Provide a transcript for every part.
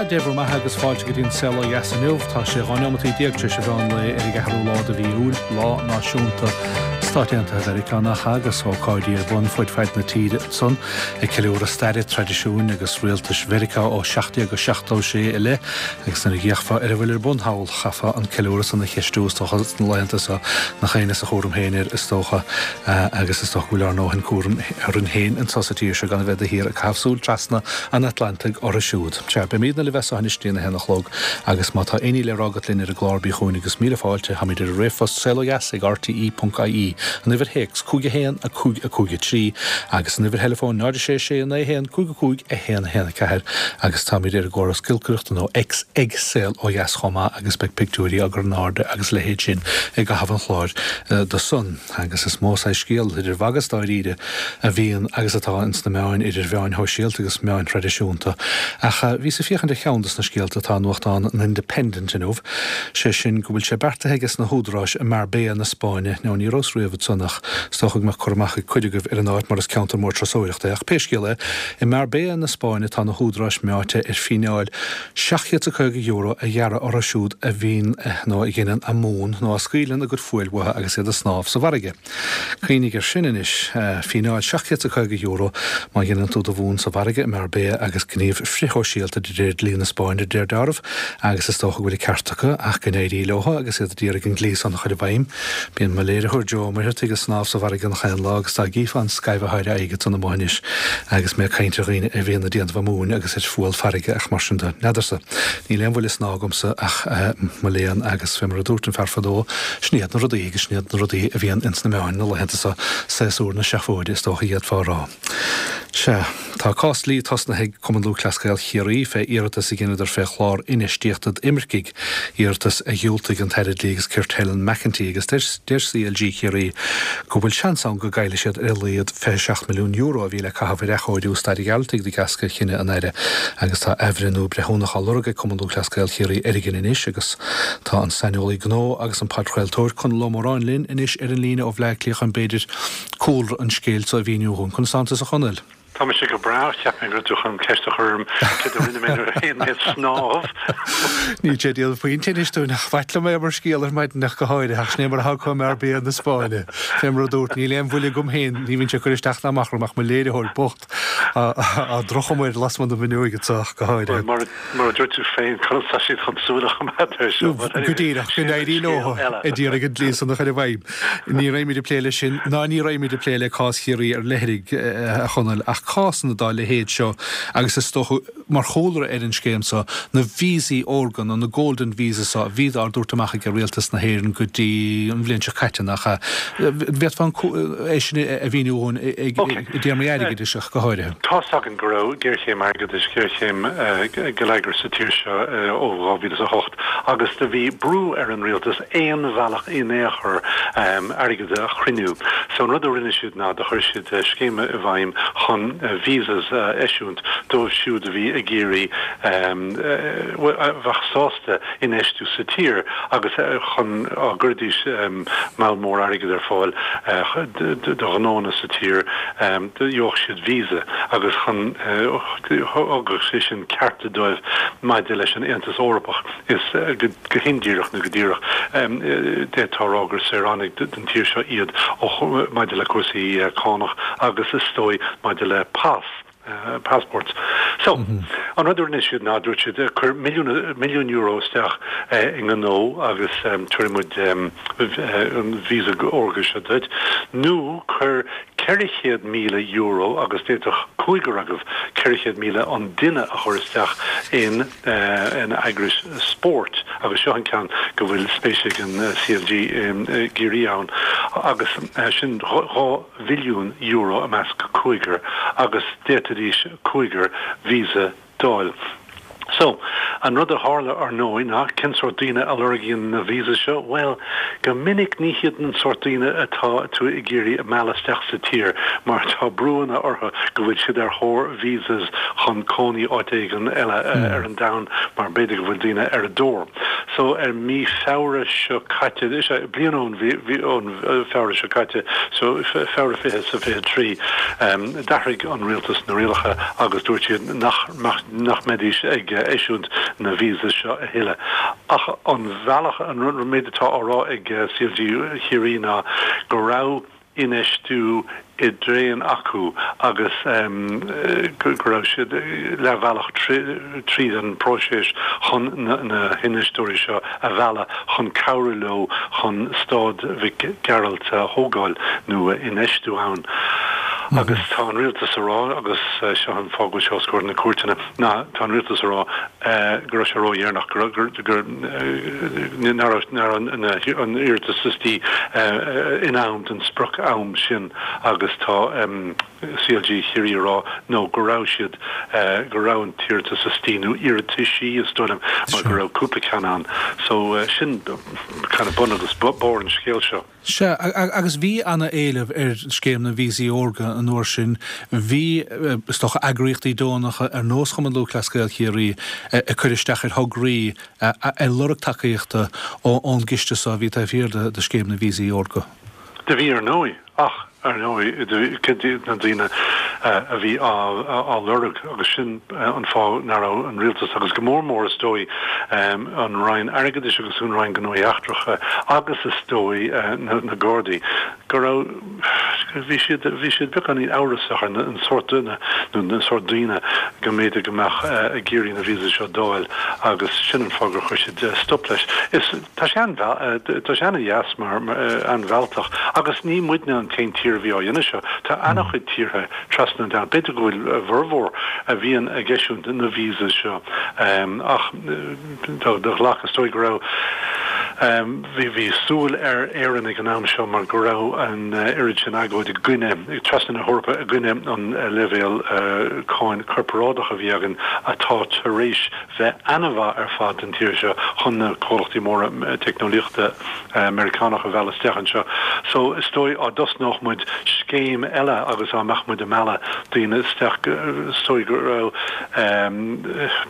Dé bhur mbeatha agus fáilte go dtí an Saol Ó Dheas inniu. Tá sé 12 neomataí tar éis an mheán lae ar an gceathrú lá de mhí Iúil, lá náisiúnta Stáit Aontaithe Mheiriceá nach ea, agus ócáidí ar bun fud fad na tíre ansan ag ceiliúradh staire, traidisiúin agus rialtais Mheiriceá ó 1776 i leith. Agus nuair a d'fhéachfá ar a bhfuil ar bun thall, chaithfeá an ceiliúradh san a cheistiú is dócha sna laethanta seo, nach éinne is a chúram féin air is dócha, agus is dócha go bhfuil ár ndóthain cúraim orainn féin anseo sa tír seo gan a bheith de shíor ag caitheamh súil trasna an Atlantaigh orthu siúd. Sea, beimídne libh as seo anois go dtí an 1 a chlog agus má tá aon ní le rá agat linn ar an gclár bí chugainn agus míle fáilte, táimid ar an ríomhphost saolodheas ag rte.ie, an uimhir théacs 5 1 5 5 3 agus an uimhir theileafóin 0 6 6 9 1 5 5 1 1 4 agus táimid ar an gcóras giolcaireachta nó X ag Saol Ó Dheas chomh maith agus beidh pictiúirí á gcur in airde agus a leithéid sin i gcaitheamh an chláir do san. Agus is mó saghas scéal, idir mhagadh is dáiríre, a bhíonn agus atá ins na meáin, idir mheáin shóisialta agus meáin thraidisiúnta. Ach bhíos ag féachaint ar cheann dos na scéalta atá i nuachtán an Independent inniu, sé sin go bhfuil sé beartaithe ages na húdaráis i Marbella na Spáinne, now ní rabhas riamh ansan ach is dócha go mbeadh cur amach ag cuid agaibh ar an áit mar is ceantar mór turasóireachta é ach pé scéal é, I Marbella na Spáinne tá na húdaráis meáite ar fíneáil €750 a ghearradh orthu siúd a bhíonn nó a dheineann a mún nó a scaoileann a gcuid fuail uathu agus iad ag snámh sa bhfarraige. Cuimhnigh air sin anois, fíneáil €750 má dheineann tú do mhún sa bhfarraige i Marbella agus gníomh frithshóisialta de réir dlí na Spáinne de réir dealraimh agus is dócha go bhfuil an ceart acu ach go n-éirí leo agus iad ag iarraidh an dlí san a chur i bhfeidhm. Bíonn mo léiritheoir Joe Ó Muircheartaigh ag snámh sa bhfarraige gach aon lá agus dá gcífeá an scaimh atá ar a aghaidh ansan amuigh anois agus mé ag caint ar dhaoine a bhíonn ag déanamh a múin agus ar fual farraige ach mar sin de, n'fheadarsa. Níl aon bhuille snámha agamsa ach mo léan agus fé mar a dúirt an fear fadó, sin iad na rudaí agus sin iad na rudaí a bhíonn ins na meáin na laethanta seo, séasúr na seafóide is dócha a d'fhéadfá a rá. Sea, tá cás dlí tosnaithe ag Cumann Lúthchleas Gael Chiarraí fé iarratas a dheineadar fé chlár infheistíochta d'imircigh, iarratas a dhiúltaigh an tAire Dlí agus Cirt Helen McEntee agus deir CLG Chiarraí go bhfuil seans ann go gcaillfidh siad ar a laghad €27 milliún a bhí le caitheamh ar athchóiriú Staid an Ghearaltaigh de dheasca chinneadh an Aire agus tá athbhreithniú breithiúnach á lorg ag Cumann Lúthchleas Gael Chiarraí ar an gcinneadh anois agus tá an saineolaí gnó agus an podchraoltóir Conall Ó Móráin linn anois ar an líne ó Bhleá Cliath chun b'fhéidir cúlra an scéil so a mhíniú dhúinn. Conas tánn tusa a Chonaill? Tá mise go breá, cheap mé go raibh tú chun ceist a chur orm céard a rinne mé nuair a théann mé ag snámh. Níl sé ag déanamh puinn tinnis dúinn ach b'ait liom é mar scéal ar maidin ach go háirithe, ach sin é mar atá acu i Marbella na Spáinne. Fé mar a dúrt, níl aon bhuille agam féin, ní bhíonn sé ag cur isteach ná amach orm ach mo léiritheoir bocht á drocham air lasmuigh den bhfuinneoig anseo ach go háirithe. Mar a dúirt tú féin, conas tá siad chun súil a choimeád air seo? Go díreach, go n-éirí leo a d'iarraidh an dlí san a chur i bhfeidhm. Ní raghaimid ag plé leis sin, ná ní raghaimid ag plé le cás Chiarraí ar leithligh, a Chonaill, ach cásanna dá leithéid seo, agus is dócha, mar chúlra ar an scéim seo, na víosaí órga, nó na golden visas seo, a bhí á dtabhairt amach ag Rialtas na hÉireann go dtí an bhliain seo caite, nach ea? Bhféadfá é sin a mhíniú dhúinn i dtéarmaí airgeadais ach go háirithe. Tá's againn go raibh géarchéim airgeadais, géarchéim geilleagair sa tír seo ó 2008 agus do bhí brú ar an rialtas aon bhealach in aon chor airgead a chruinniú. So an rud a rinne siad ná do chuir siad scéim i bhfeidhm chun visas a eisiúint dóibh siúd a bhí ag iarraidh, a bheadh sásta infheistiú sa tír agus chun á gcuiridís moll mór airgid ar fáil do ghnónna sa tír, do gheobhadh siad visa agus chun, thugadh sé sin cearta dóibh maidir leis an Aontas Eorpach. Is go hindíreach nó go díreach, d'fhéadfá a rá gur saoránaigh den tír seo iad maidir le cúrsaí cánach agus is dóigh maidir le pas, passports. So, an rud a rinne siad ná, dúirt siad, cuir milliún euro isteach i ngnó agus tabharfaidh muid an visa órga seo duit, nó cuir €400,000 agus d'fhéadfadh cúigear agaibh 400,000 an duine a chur isteach in in eagrais spóirt agus seo an ceann go bhfuil spéis ag an CLG i gCiarraí ann agus sin €2 mhilliún i measc cúigear agus d'fhéadfaidís cúigear visa d'fháil. So, an rud a tharla ar ndóigh ná cén sórt daoine a lorgaíonn na visas seo? Bhuel, go minic ní hiad an sórt daoine atá tú ag iarraidh a mhealladh isteach sa tír mar tá brúanna orthu go bhfuil siad ar thóir visas chun cónaí áit éigin eile ar an domhan mar b'fhéidir go bhfuil daoine ar a dtóir. So ar mí Feabhra seo caite, is ea, bliain ón mhí, ón Feabhra seo caite, so Feabhra 20 is a 23, d'athraigh an rialtas na rialacha agus dúirt siad nach nach mbeidís ag eisiúint na visas seo a thuilleadh. Ach an bhealach, an méid atá á rá ag CLG Chiarraí ná go raibh infheistiú i dtraein acu agus go raibh siad leathbhealach tríd an bpróiseas chun na hinfheisteoirí seo a mhealladh chun cabhrú leo chun Staid Mhic Gearailt a thógáil nó a infheistiú ann. Agus tá an rialtas a rá, agus seo an fáth go bhfuil sé os comhair na cúirteanna, ná tá an rialtas a rá go raibh sé ródheireanach, go raibh, nach raibh an iarratas istigh in am don sprioc-am sin agus tá CLG Chiarraí a rá no go raibh siad, go raibh an t-iarratas istigh nó iarrataisí is dóigh liom mar go raibh cúpla ceann ann. So sin kind of bun agus barr an scéil seo. Sea, agus bhí ana-éileamh ar scéim na Víosaí Órga an uair sin. Bhí, is dócha, eagraíochtaí deonacha ar nós Chumann Lúthchleas Gael Chiarraí ag cur isteach ar thograí ag lorg tacaíochta ón gciste so a bhí taobh thiar de scéim na Víosaí Órga. Do bhí ar ndóigh, ach ar ndóigh, cad iad na daoine a bhí á lorg agus sin an fáth nach raibh an rialtas agus go mór mór is dóigh an Roinn Airgeadais agus an Roinn Gnóthaí Eachtracha agus is dóigh na Gardaí go raibh bhí siad bhí siad beagáinín amhrasach ar an sórt duine nó na sórt daoine go mb'fhéidir go mbeadh ag iarraidh na víosaí seo d'fháil agus sin an fáth gur chuir siad stop leis. Is tá sé an-tá sé an-dheas mar an-mhealltach agus ní muidne an t-aon tír a bhí á dhéanamh seo. Tá an-chuid tíortha trasna an domhain. B'fhéidir go bhfuil a bhformhór a bhíonn ag eisiúint na visas seo ach do ghlac, is dóigh go raibh, bhí, bhí súil ar Éirinn ag an am seo mar go raibh an oiread sin agóid i gcoinne, trasna na hEorpa i gcoinne an leibhéal cáin corparáideach a bhí againn atá tar éis bheith ana-mhaith ar fad don tír seo chun na comhlachtaí móra teicneolaíochta Meiriceánach a mhealladh isteach anseo. So is dóigh á dtosnódh muid scéim eile agus á mbeadh muid ag mealladh daoine isteach is dóigh go raibh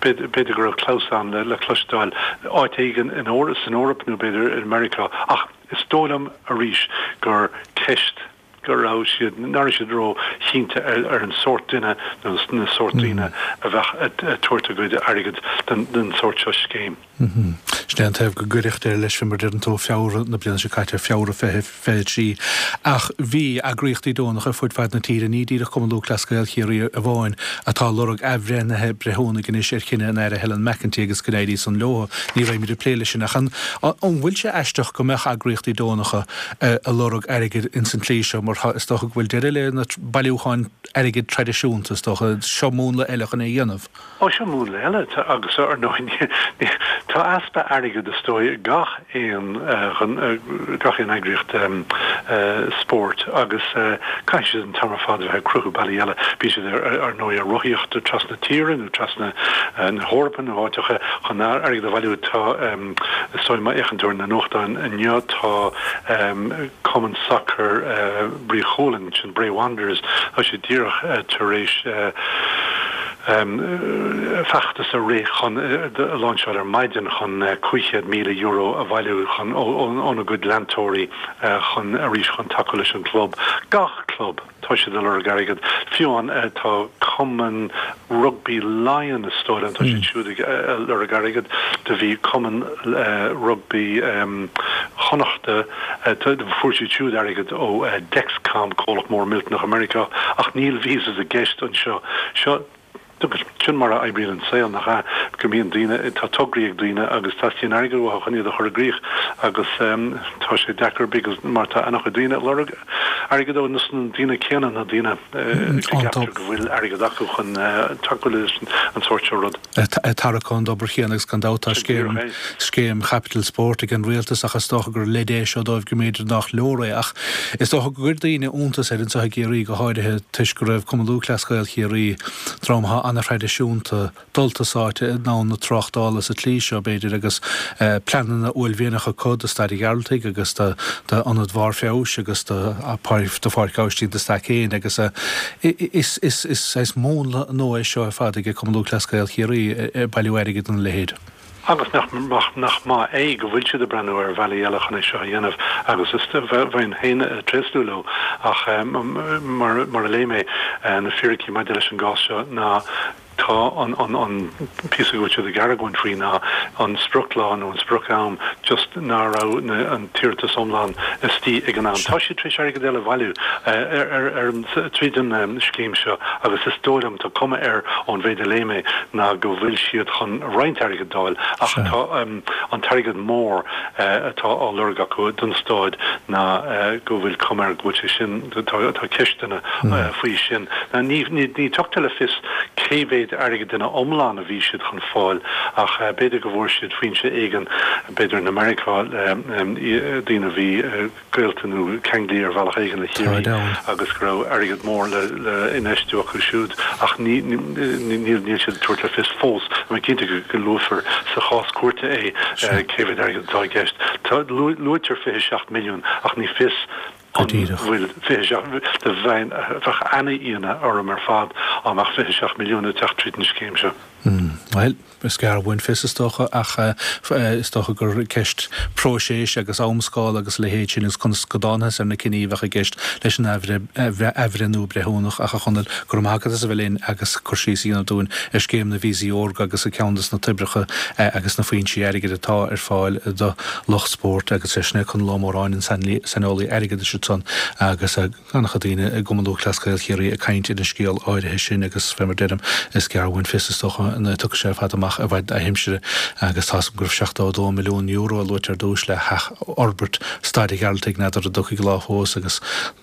b'fhéidir go raibh clamhsán le cloisteáil áit éigin in san Eoraip nó b'fhéidir i Meiriceá ach is dóigh liom arís gur ceist go raibh siad, nach raibh siad ró-chinnte ar an sórt duine nó na sórt daoine a bheadh ag tabhairt a gcuid airgid don sórt seo scéim. Sin é an taobh go gcuirfeadh deireadh leis, fé mar a deireann tú, Feabhra na bliana seo caite, Feabhra 2023. Ach bhí eagraíochtaí deonacha ar fud fad na tíre, ní díreach Cumann Lúthchleas Gael Chiarraí amháin, atá ag lorg athbhreithnithe breithiúnaigh anois ar chinneadh an Aire Helen McEntee agus go n-éirí san leo. Ní raghaimid ag plé leis sin ach an bhfuil sé aisteach go mbeadh eagraíochtaí deonacha ag lorg airgid ins an tslí seo mar is dócha go bhfuil deireadh le na bailiúcháin airgid traidisiúnta, is dócha. Seo múnla eile chun é a dhéanamh. Ó, seo múnla eile agus ar ndóigh tá easpa airgid is dóigh ag gach aon gach aon eagraíocht spóirt agus caithfidh siad an t-am ar fad a bheith ag cruthú bealaí eile. Bíonn siad ar ndóigh ag rothaíocht trasna tíre nó trasna na hEorpa nó áiteacha chun airgead a bhailiú. Tá Is dóigh má fhéachann tú ar na nuachtáin inniu tá Cumann Sacair Brí Chualann, sin Bray Wanderers, tá siad díreach tar éis feachtas a rith chun, a láinseáil ar maidin chun €500,000 a bhailiú chun óna gcuid leantóirí chun arís chun tacú leis an gclub. Gach club! Tá siad ag lorg airgead. Fiú amháin tá Cumann Rugbaí Laighean is dóigh liom, tá siad siúd ag lorg airgead. Do bhí Cumann Rugbaí Chonnachta, fuair siad siúd airgead ó Dexcom, comhlacht mór millteanach i Meiriceá, ach níl visas i gceist anseo. Seo. Sin mar a oibríonn an saol, nach ea? Go mbíonn daoine, tá tograí ag daoine agus teastaíonn airgead uathu chun iad a chur i gcrích agus tá sé deacair because mar tá an-chuid daoine ag lorg airgead ó na daoine céanna, na daoine go gceaptar go bhfuil airgead acu chun tacú leis an sórt seo rud. Ag tarrac ón dtobar chéanna agus gan dabht tá scéim, scéim Chapital Sport ag an rialtas ach is dócha gur leid é seo dóibh go mb'fhéidir nach leor é ach is dócha go gcuir daoine iontas air anseo i gCiarraí go háirithe toisc go raibh Cumann Lúthchleas Gael Chiarraí dream atá an-thraidisiúnta, dulta sáite i ndomhan na tráchtála sa tslí seo, b'fhéidir, agus pleananna uaillmhianacha acu do Staid an Ghearaltaigh agus d'Ionad Bharr Feabhais agus do Pháirc Aibhistín de Staic féin agus is saghas múnla nua é seo ar fad ag Cumann Lúthchleas Gael Chiarraí ag bailiú airgid ina leithéid. Agus nach nach maith é go bhfuil siad ag breathnú ar bhealaí eile chun é seo a dhéanamh agus is bheinn féin ag tréaslú leo ach mar mar a léigh mé na fíricí maidir leis an gcás seo ná tá an an an píosa go bhfuil siad ag argóint faoi ná an sprioclá nó an sprioc-am just ná raibh na an t-iarratas iomlán istigh ag an am. Tá siad tar éis airgead eile a bhailiú ar ar ar an tríd an scéim seo agus is dóigh liom tá cuma air ón mhéid a léigh mé ná go bhfuil siad chun roinnt airgid d'fháil ach tá an t-airgead mór atá á lorg acu don staid ná go bhfuil cuma air go bhfuil sé sin, tá ceisteanna faoi sin. Ní tugtar le fios cé mhéad airgid ina iomlán a bhí siad chun fáil ach b'fhéidir go bhfuair siad foinse éigin, b'fhéidir in Americá, daoine a bhí. gaolta nó ceanglaithe ar bhealach éigin le Ciarraí agus go raibh airgead mór le infheistiú acu siúd ach níl siad ag tabhairt le fios fós. Tá mé cinnte go luafar sa chás cúirte é cé mhéad airgead atá i gceist. Luaitear 27 milliún ach ní fios an bhfuil 27, bheinn, bheadh ana-ionadh orm ar fad dá mbeadh 27 milliún ag teacht tríd an scéim seo. Bhuel, is gearr uainn fios is dócha, ach is dócha gur ceist próiseas agus amscála agus a leithéid sin agus conas go dtángthas ar na cinní a bheadh i gceist leis an athbhreithniú breithiúnach. Ach a Chonaill, go raibh maith agat as a bheith linn agus cur síos a dhéanamh dúinn ar scéim na Víosaí Órga agus ar ceann de na toibreacha agus na foinsí airgid atá ar fáil do lucht spóirt agus sin é Conall Ó Móráin, an saineolaí airgeadais ansan agus. An-chuid daoine i gCumann Lúthchleas Gael Chiarraí ag caint ar an scéal áirithe sin agus fé mar deirim, is gearr uainn fios is dócha nuair a tiocfaidh sé ar fad amach i bhfad aimsire agus tá's agam go raibh €72 milliún a luaite ar dtús le hathfhorbairt Staid an Ghearaltaigh, n'fheadar an dtiocfaidh lá fós agus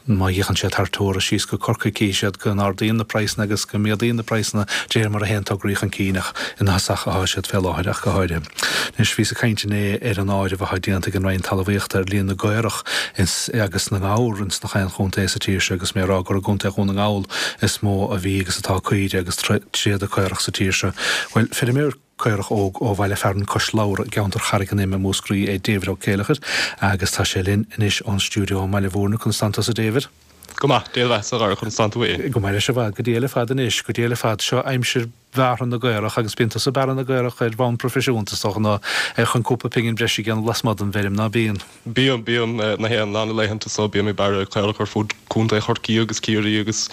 má fhéachann siad thar teora síos go Corcaigh cífidh siad go n-ardaíonn na praghsanna agus go méadaíonn na praghsanna de réir mar a théann tograí chun cinn ach ina thosach atá siad fé láthair ach go háirithe. Anois bhíos ag caint inné ar an áireamh atá déanta ag an Roinn Talmhaíochta ar líon na gcaorach ins agus na ngabhar ins na chaon chontae sa tír seo agus mé ag rá gur i gContae Dhún na nGall is mó a bhí agus atá caoire agus tréada caorach sa tír seo. Bhuel, feirmeoir caorach óg ó bhaile fearainn Cois Lobhra i gceantar Charraig an Ime i Múscraí é David Ó Céileachair agus tá sé linn anois ón stiúideo i mBaile Mhúirne. Conas tánn tusa David? Go maith, Dia do bheatha-sa a Dhara, conas tánn tú fhéin? Go maith leis i bhfad, go diail ar fad anois, go diail ar fad. Seo aimsir bhearrtha na gcaorach agus bíonn tusa ag bearradh na gcaorach ar bhonn proifisiúnta is dócha nó chun cúpla pingin breise a dhéanamh lasmuigh den bhfeirm, ná bíonn? Bíonn, bíonn, na haon lá na laethanta so bím ag bearradh caorach ar fud Contae Chorcaí agus Ciarraí agus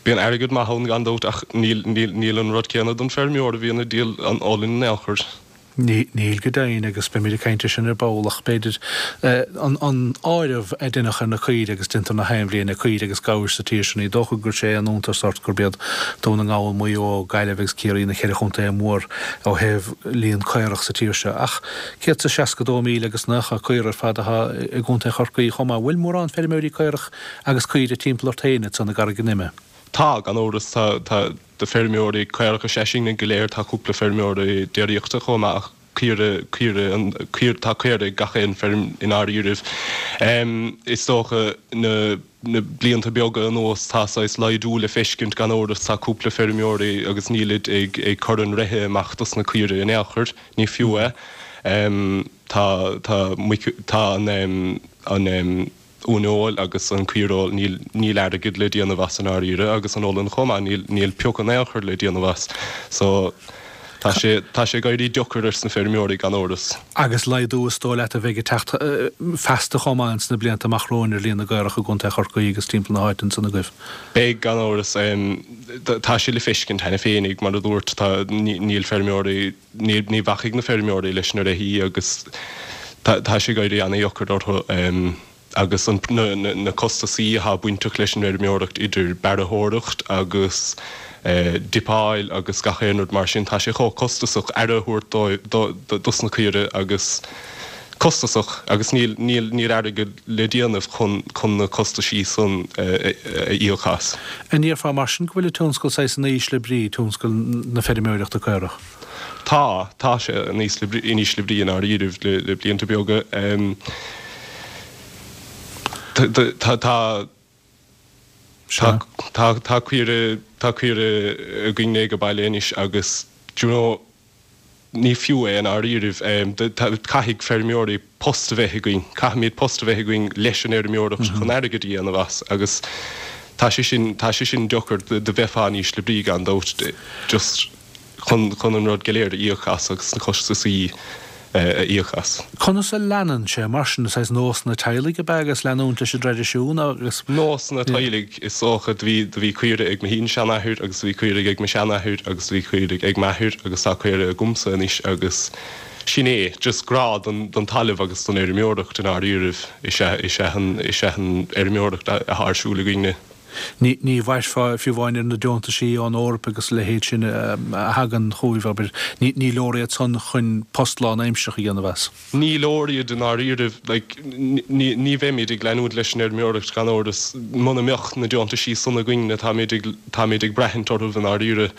bíonn airgead maith ann gan dabht ach níl, níl, níl an rud céanna don feirmeoir a bhíonn ag díol an olann in aon chor. Níl go deimhin, agus beimid ag caint air sin ar ball, ach b'fhéidir an áireamh a deineadh ar na caoirigh agus déantar na haon bhliain ar caoirigh agus gabhair sa tír seo, ní dócha gur sé an iontas ort gurb iad Dún na nGall, Maigh Eo, Gaillimh agus Ciarraí na ceithre chontae mór ó thaobh líon caorach sa tír seo. Ach 162,000 agus 90 caora ar fad atá i gContae Chorcaí chomh maith. Bhfuil mórán feirmeoirí caorach agus caoire timpeall ort féin ansan i gCarraig an Ime? Tá, gan amhras. Tá. Tá feirmeoirí caorach is ea sinne go léir, tá cúpla feirmeoir déiríochta chomh maith ach caoire, caoire, an, caoire, tá caora ag gach aon feirm i ndáiríribh. Is dócha na, na blianta beaga anuas tá saghas laghdú le feiscint gan amhras, tá cúpla feirmeoirí agus nílid ag, ag cur an reithe amach dos na caoire in aon chor, ní fiú é. Tá, tá muic, tá an, an, uaineoil agus an caoireoil, níl, níl airgead le déanamh as i ndáiríre agus an olann chomh maith, níl, níl pioc in aon chor le déanamh as. So, tá sé, tá sé ag éirí deocair ars na feirmeoirí gan amhras. Agus laghdú is dóigh leat a bheidh ag teacht feasta chomh maith ins na blianta amach romhainn ar líon na gcaorach i gContae Chorcaí agus timpeall na háite ansan agaibh. Beidh, gan amhras. Tá sé le feiscint cheana féinig, mar a dúirt, tá, níl feirmeoirí, ní, ní bhacfaidh na feirmeoirí leis na reithí agus tá, tá sé ag éirí ana-dheocair orthu agus an, na, na, na costasaí athá bainteach leis an bhfeirmeoireacht idir bearrthóireacht agus dippeáil agus gach aon rud mar sin, tá sé chomh costasach aire a thabhairt dóibh, do, do, dos na caoire agus costasach agus níl, níl, níl airgead le déanamh chun, chun na costaisí san a íoc as. An ndéarfá mar sin go bhfuil an tionscal saghas in ísle brí, tionscal na feirmeoireachta caorach? Tá, tá sé in ísle brí, in ísle brí i ndáiríribh le, le blianta beaga. Tá, tá, tá, tá, tá caoire, tá caoire againne ag baile anois agus, do you know, Ní fiú é i ndáiríribh. Caithfidh feirmeoirí post a bheith againn. Caithfimid post a bheith againn leis an fheirmeoireacht chun airgead a dhéanamh as agus tá sé sin, tá sé sin deocair. Do bheifeá in ísle brí gan dabht. Just. chun chun an rud go léir a íoc as agus na costasaí a íoc as. Conas a leanann sé mar sin? Is saghas nósanna teaghlaigh ab ea agus leanúint leis an dtraidisiún agus. Nósanna teaghlaigh is dócha. Do bhí do bhí caoirigh ag mo shin-seanathair agus do bhí caoirigh ag mo sheanathair agus do bhí caoirigh ag m'athair agus tá caoirigh agamsa anois agus sin é, just grá don don talamh agus don fheirmeoireacht i ndáiríribh is ea is ea an is ea an fheirmeoireacht atá ar siúl againne. Ní mhairfeá fiú amháin ar na deontaisí ón Eoraip agus a leithéid sin a thagann chugaibh, abair. Ní leor iad san chun post lánaimsearach a dhéanamh as. Ní leor iad i ndáiríribh. Like, ní bheimid ag leanúint leis an fheirmeoireacht gan amhras muna mbeadh na deontaisí san againn. Táimid ag, táimid ag braithint orthu i ndáiríre.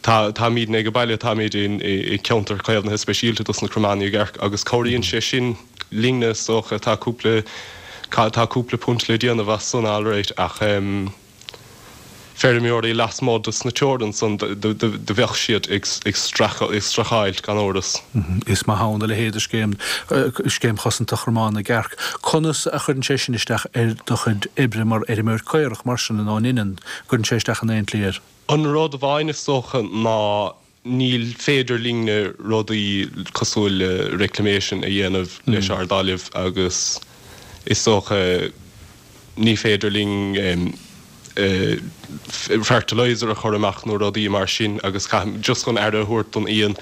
Tá, táimidne ag an baile, táimid i gceantar caomhnaithe speisialta dos na Crománaigh gCearc agus cabhraíonn sé sin linne is dócha. Tá cúpla, tá cúpla punt le déanamh as san alright ach feirmeoirí lasmuigh dos na teorann san do bheadh siad ag streachailt gan amhras. Is maith ann a leithéid de scéim, Scéim Chosanta Chromán na gCearc. Conas a chuireann sé sin isteach ar do chuid oibre mar fheirmeoir caorach mar sin nó an ionann, gcuireann sé isteach in aon tslí air? An rud amháin is dócha ná níl féidir linne rudaí cosúil le reclamation a dhéanamh leis ár dtalamh agus is dócha ní féidir linn fertilizer a chur amach nó rudaí mar sin agus caithfidh just chun aire a thabhairt don fhíon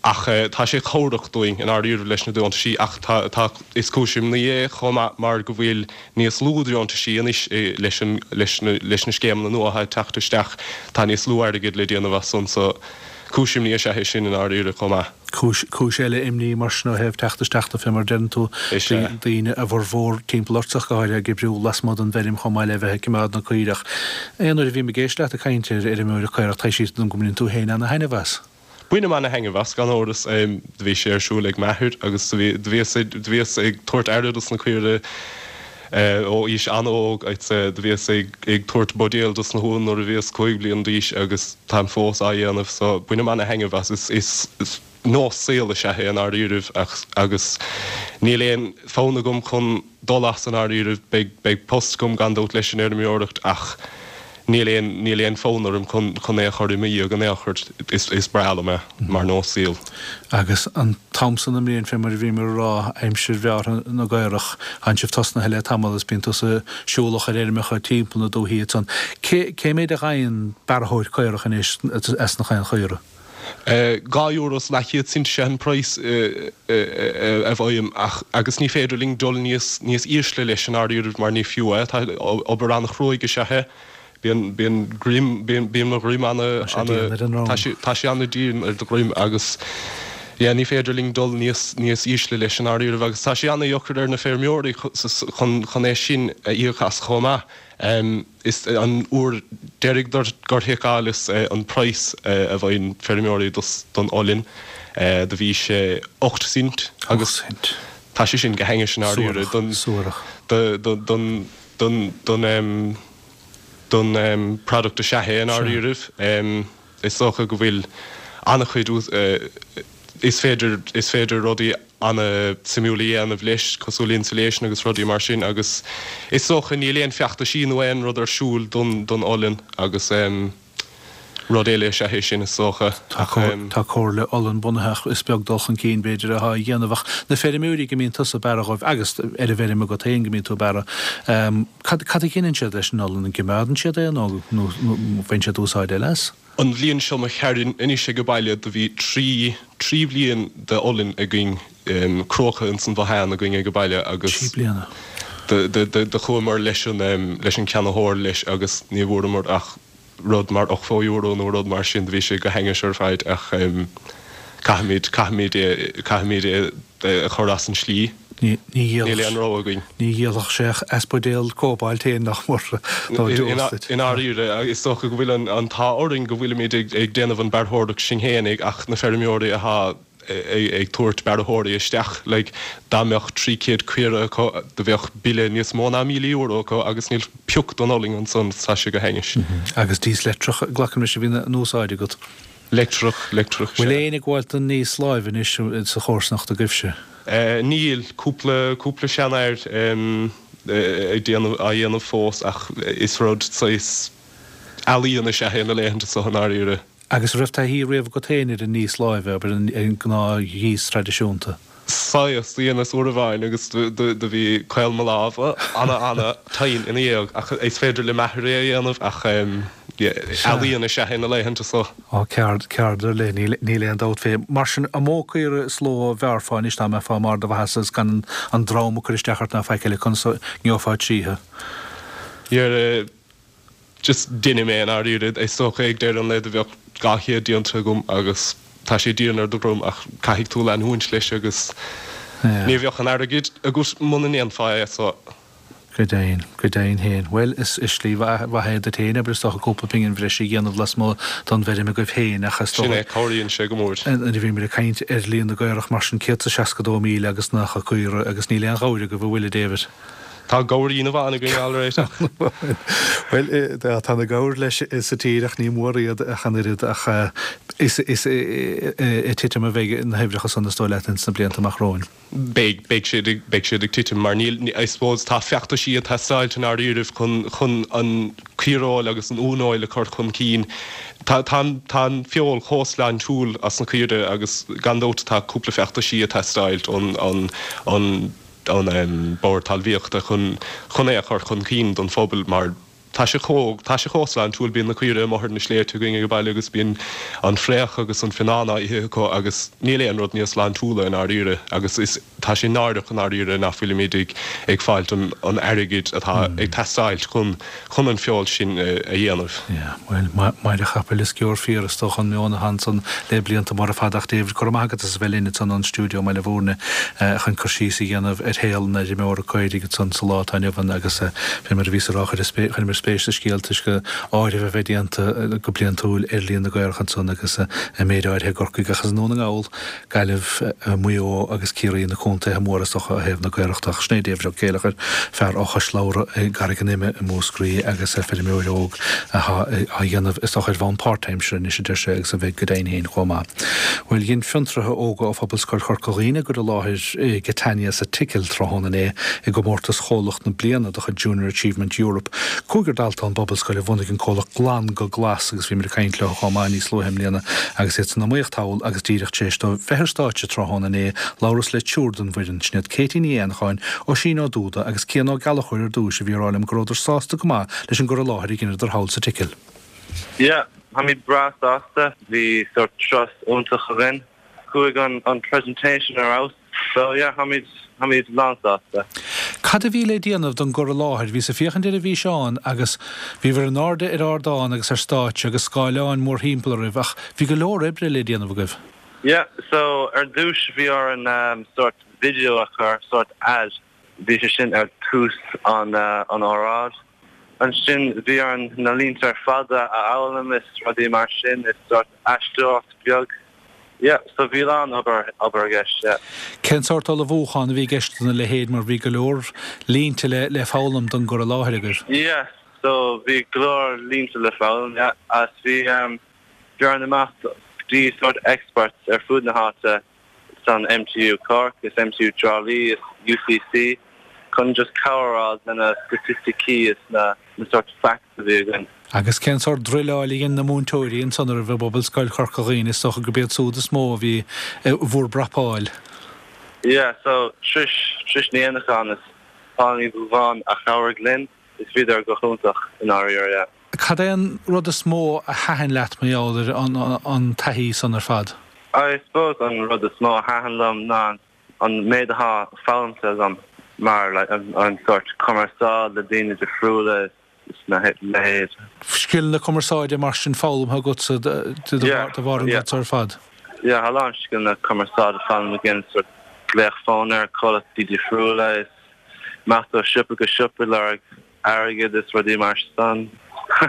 Ach tá sé cabhrach dúinn i ndáiríre leis na deontaisí ach tá, tá, is cúis imní é chomh maith mar go bhfuil níos lú deontaisí anois leis an, leis na, leis na scéimeanna nua atá ag teacht isteach, tá níos lú airgid le déanamh as san so cúis imní is ea é sin i ndáiríre chomh maith. Cúis, cúis eile imní mar sin ó thaobh teacht isteach de fé mar a deireann tú, Is ea. daoine a bhformhór timpeall ort ach go háirithe ag oibriú lasmuigh den bhfeirm chomh maith le bheith ag coimeád na caorach. Aon uair a bhím ag éisteacht leat ag caint ar fheirmeoireacht caorach taibhsítear dom go mbaineann tú féin ana-thaitneamh as. Bainim ana-thaitneamh as, gan amhras. Do bhí sé ar siúl ag m'athair agus do bhí, do bhíos, do bhíos ag tabhairt aire dos na caoirigh ó aois an-óg. Do bhíos ag, ag tabhairt buidéal dos na huain nuair a bhíos 5 bliana d'aois agus táim fós á dhéanamh so bainim ana-thaitneamh as. Is, is, is nós saoil is ea é i ndáiríribh ach, agus níl aon fonn agam chun dul as i ndáiríribh. Beidh, beidh post agam gan dabht leis an fheirmeoireacht ach níl aon, níl aon fonn orm chun, chun é a chur i mo dhiaidh in aon chor. Is, is breá liom é mar nós saoil. Agus an t-am san den mbliain, fé mar a bhíomar a rá, aimsir bhearrtha na gcaorach, tánn sibh tosnaithe le tamall is bíonn tusa siúlach ar fheirmeacha timpeall na dúichí ansan. Cé, cé méid a fhaigheann bearrthóir caorach anois as na chaon chaora? €2 is leathchéad cent is ea an praghas a fhaighim ach agus ní féidir linn dul níos níos ísle leis i ndáiríribh mar ní fiú é. Tá obair an-chruaidh is ea é. Bíonn bíonn greim bíonn bíonn mo dhroim ana Tá sé dian ar an ndroim. Tá sé tá sé ana-dian ar do dhroim agus yeah ní féidir linn dul níos níos ísle leis i ndáiríribh agus tá sé ana-dheacair ar na feirmeoirí chun chun é sin a íoc as chomh maith. Is an uair deiridh gur sheiceáileas an praghas a bhfaigheann feirmeoirí don olann, do bhí sé 8 cent agus tá sé sin go hainnis i ndáiríre don don don product is ea é i ndáiríribh. Is dócha go bhfuil an-chuid is féidir is féidir rudaí an-suimiúil a dhéanamh leis, cosúil le insulation agus rudaí mar sin agus is dócha níl aon feachtaisí nó aon rud ar siúl don don olann agus rud eile is ea é sin is dócha ach. Tá Comhairle Olann bunaithe ach is beag dul chun cinn b'fhéidir atá á dhéanamh ach na feirmeoirí go mbíonn tusa ag bearradh dhóibh agus ar an bhfeirm agat féin go mbíonn tú ag bearradh, cad cad a dheineann siad leis an olann? An gcoimeádann siad é nó nó baineann siad úsáid eile as? An bhliain seo chuaigh tharainn anois ag an baile do bhí 3, 3 bhliain de olann againn cruacha ins an bhothán againn ag an baile agus 3 bliana. do, do, do, do chuamar leis an, leis an ceannaitheoir leis agus ní bhfuaireamar ach rud mar €80 nó rud mar sin, do bhí sé go hainnis ar fad ach caithfimid, caithfimid é, caithfimid é a chur as an slí. Ní Níl aon rogha againn. Ní dhíolfadh sé ach as buidéal cóbailt féin nach mór nó deos duit. I ndáiríre, is dócha go bhfuil an t-ádh orainn go bhfuilimid ag déanamh an bearrthóireacht sinn fhéinig ach na feirmeoirí athá ag tabhairt bearrthóirí isteach, like, dá mbeadh 300 caora acu do bheadh bille níos mó ná €1,000 acu agus níl pioc don olann ansan, tá sé go hainnis. Agus díos leictreach, glacaim leis a bhíonn in úsáid agat. Leictreach, leictreach, sea. Bhfuil éinne ag gabháilt don ndíos láimhe anois sa chomharsanacht agaibhse? Níl, cúpla, cúpla seanfhear ag déanamh, á dhéanamh fós ach is rud saghas ealaíon is ea é na laethanta seo i ndáiríre. Agus an raibh taithí riamh agat féin ar an ndíos láimhe, abair, ar an ngnáth-dhíos traidisiúnta? Saghas, do dheineas uair amháin agus do bhí caol mo lámha ana ana tinn ina dhiaidh ach is féidir le m'athair é a dhéanamh ach ealaíon is ea é na laethanta so. Á, ceard, ceard ar leith, níl aon dabht fé. Mar sin, an mó caora is ló a bhearrfá anois dá mbeifeá i mbarr do mhaitheasa is gan an drom ag cur isteach ort ná faic eile, conas a ngeofá tríothu? Yeah. Just deinim é i ndáiríre. Is dócha ag deireadh an lae do bheadh 200 déanta agam agus tá sé dian ar do dhroim ach caithfidh tú leanúint leis agus ní bheadh an airgead agat muna ndéanfá é so. Go deimhin, go deimhin féin. Bhuel, is slí mhaith é duit féin, abair, is dócha cúpla pingin bhreise a dhéanamh lasmuigh don bhfeirm agaibh féin ach is dócha. Sin é, cabhraíonn sé go mór. Nuair a bhímid ag caint ar líon na gcaorach mar sin, 162,000 agus 90 caora agus níl aon ghabhair agaibh, an bhfuil, a David? Tá gabhairín amháin againn alright ach. Bhuel, tá na gabhair leis sa tír ach ní mór iad ach an oiread ach is ag titim a bheidh na huimhreacha san is dóigh leat ins na blianta amach romhainn. Beidh, beidh siad ag, beidh siad ag titim mar níl, I suppose tá feachtaisí ag teastáilt i ndáiríribh chun, chun an caoireoil agus an uaineoil a chur chun cinn. Tá, tá an, tá an feoil chomh sláintiúil as na caoire agus gan dabht tá cúpla feachtaisí ag teastáilt ón, ón, ón, an Bord Talmhaíochta chun chun é a chur chun cinn don phobal mar tá sé chomh tá sé chomh sláintiúil, bíonn na caoire amuigh ar na sléibhte againn ag an baile agus bíonn an fraoch agus an fionnán á ithe acu agus níl aon rud níos sláintiúla i ndáiríre agus is tá sé náireach i ndáiríre nach bhfuilimid ag ag fáilt an an airgid atá ag teastáilt chun chun an feoil sin a dhéanamh. Yeah, bhuel, maide chapaill is sciorr fíor is dócha an meon atá ansan le blianta móra fada ach David, go raibh maith agat as a bheith linn ansan ón stiúideo i mBaile Bhúirne chun cur síos a dhéanamh ar shaol an fheirmeora caoirigh ansan sa lá atá inniu ann agus fé mar a bhíos a rá chuireamar spéis sa scéal toisc áireamh a bheith déanta go bliantúil ar líon na gcaorach ansan agus an méid áirithe i gCorcaigh ach is i nDún na nGall Gaillimh, Maigh Eo agus Ciarraí na contaetha móra is dócha ó thaobh na gcaorach de. Ach sin é David Ó Céileachair, fear ó Chois Labhra i gCarraig an Ime i Múscraí agus feirmeoir óg atá á dhéanamh is dócha ar bhonn páirtaimseartha anois a deir sé agus a bheidh go deimhin féin chomh maith. Bhuel, dhein fiontraithe óga ó Phobalscoil Chorca Dhuibhne a gcur i láthair i Catania sa tSicil tráthnóna inné i gcomórtas Chomhlacht na Bliana de chuid Junior Achievement Europe. Cúigear dalta ón bPobalscoil a bhunaigh an comhlacht Glan go Glas agus bhíomar ag caint leo chomh maith níos luaithe i mbliana agus iad san iomaíocht thall agus díreach tar éis dóibh bheith ar stáitse tráthnóna inné, labhras le triúr den bhfoireann, sin iad Katie Ní Éanacháin, Oisín Ó Dúda agus Cian Ó Gallchóir ar dtúis a bhí ag rá liom go rabhadar sásta go maith leis an gcur i láthair a dheineadar thall sa tSicil. Yeah, táimid breá sásta. Bhí sórt turas iontach againn. Chuaigh an presentation ar fheabhas. So yeah, táimid, táimid lán sásta. Cad a bhí le déanamh don gcur i láthair? Bhíos ag féachaint ar an bhfíseán agus bhíobhair in airde ar ardán agus ar stáitse agus scáileáin mórthimpeall oraibh ach bhí go leor oibre le déanamh agaibh. Yeah, so ar dtús bhí orainn sórt video a chur, sórt ad, bhí sé sin ar tús an an óráid. Ansin bhí orainn na línte ar fad a fhoghlaim is rudaí mar sin is sórt aisteoireacht beag. Yeah, so bhí a lán obair, obair i gceist, yeah. Cén sórt ullmhúchán a bhí i gceist dona leithéid mar bhí go leor línte le le foghlaim don gcur i láthair agaibh? Yeah, so bhí go leor línte le foghlaim, yeah, agus bhí, bhí orainn imeacht go dtí sórt experts ar fud na háite san MTU Cork is MTU Trá Lí is UCC chun just cabhair a fháil le na staitisticí is na na sórt facts a bhí againn. Agus cén sórt druileáil a dhein na múinteoirí ansan oraibh i bPobalscoil Chorca Dhuibhne, is dócha gurb iad súd is mó a bhí bhur bprapáil. Yeah, so Trish, Trish Ní Éanacháin is Paul Ní Dhubháin a chabhraigh linn is bhíodar go hiontach i ndáiríre, yeah. Cad é an rud is mó a thaitin leat mar gheall ar an taithí san ar fad? I suppose an rud is mó a thaitin liom ná an méid atá foghlamtha agam mar like an sórt cumarsáid le daoine difriúla is na leithéid. Scileanna cumarsáide mar sin foghlamtha agatsa de bharr an rud seo ar fad? Yeah, tá a lán scileanna cumarsáide foghlamtha againn, sórt glaoch fóin ar chomhlachtaí difriúla is imeacht ó siopa go siopa ag lorg airgead is rudaí mar san. I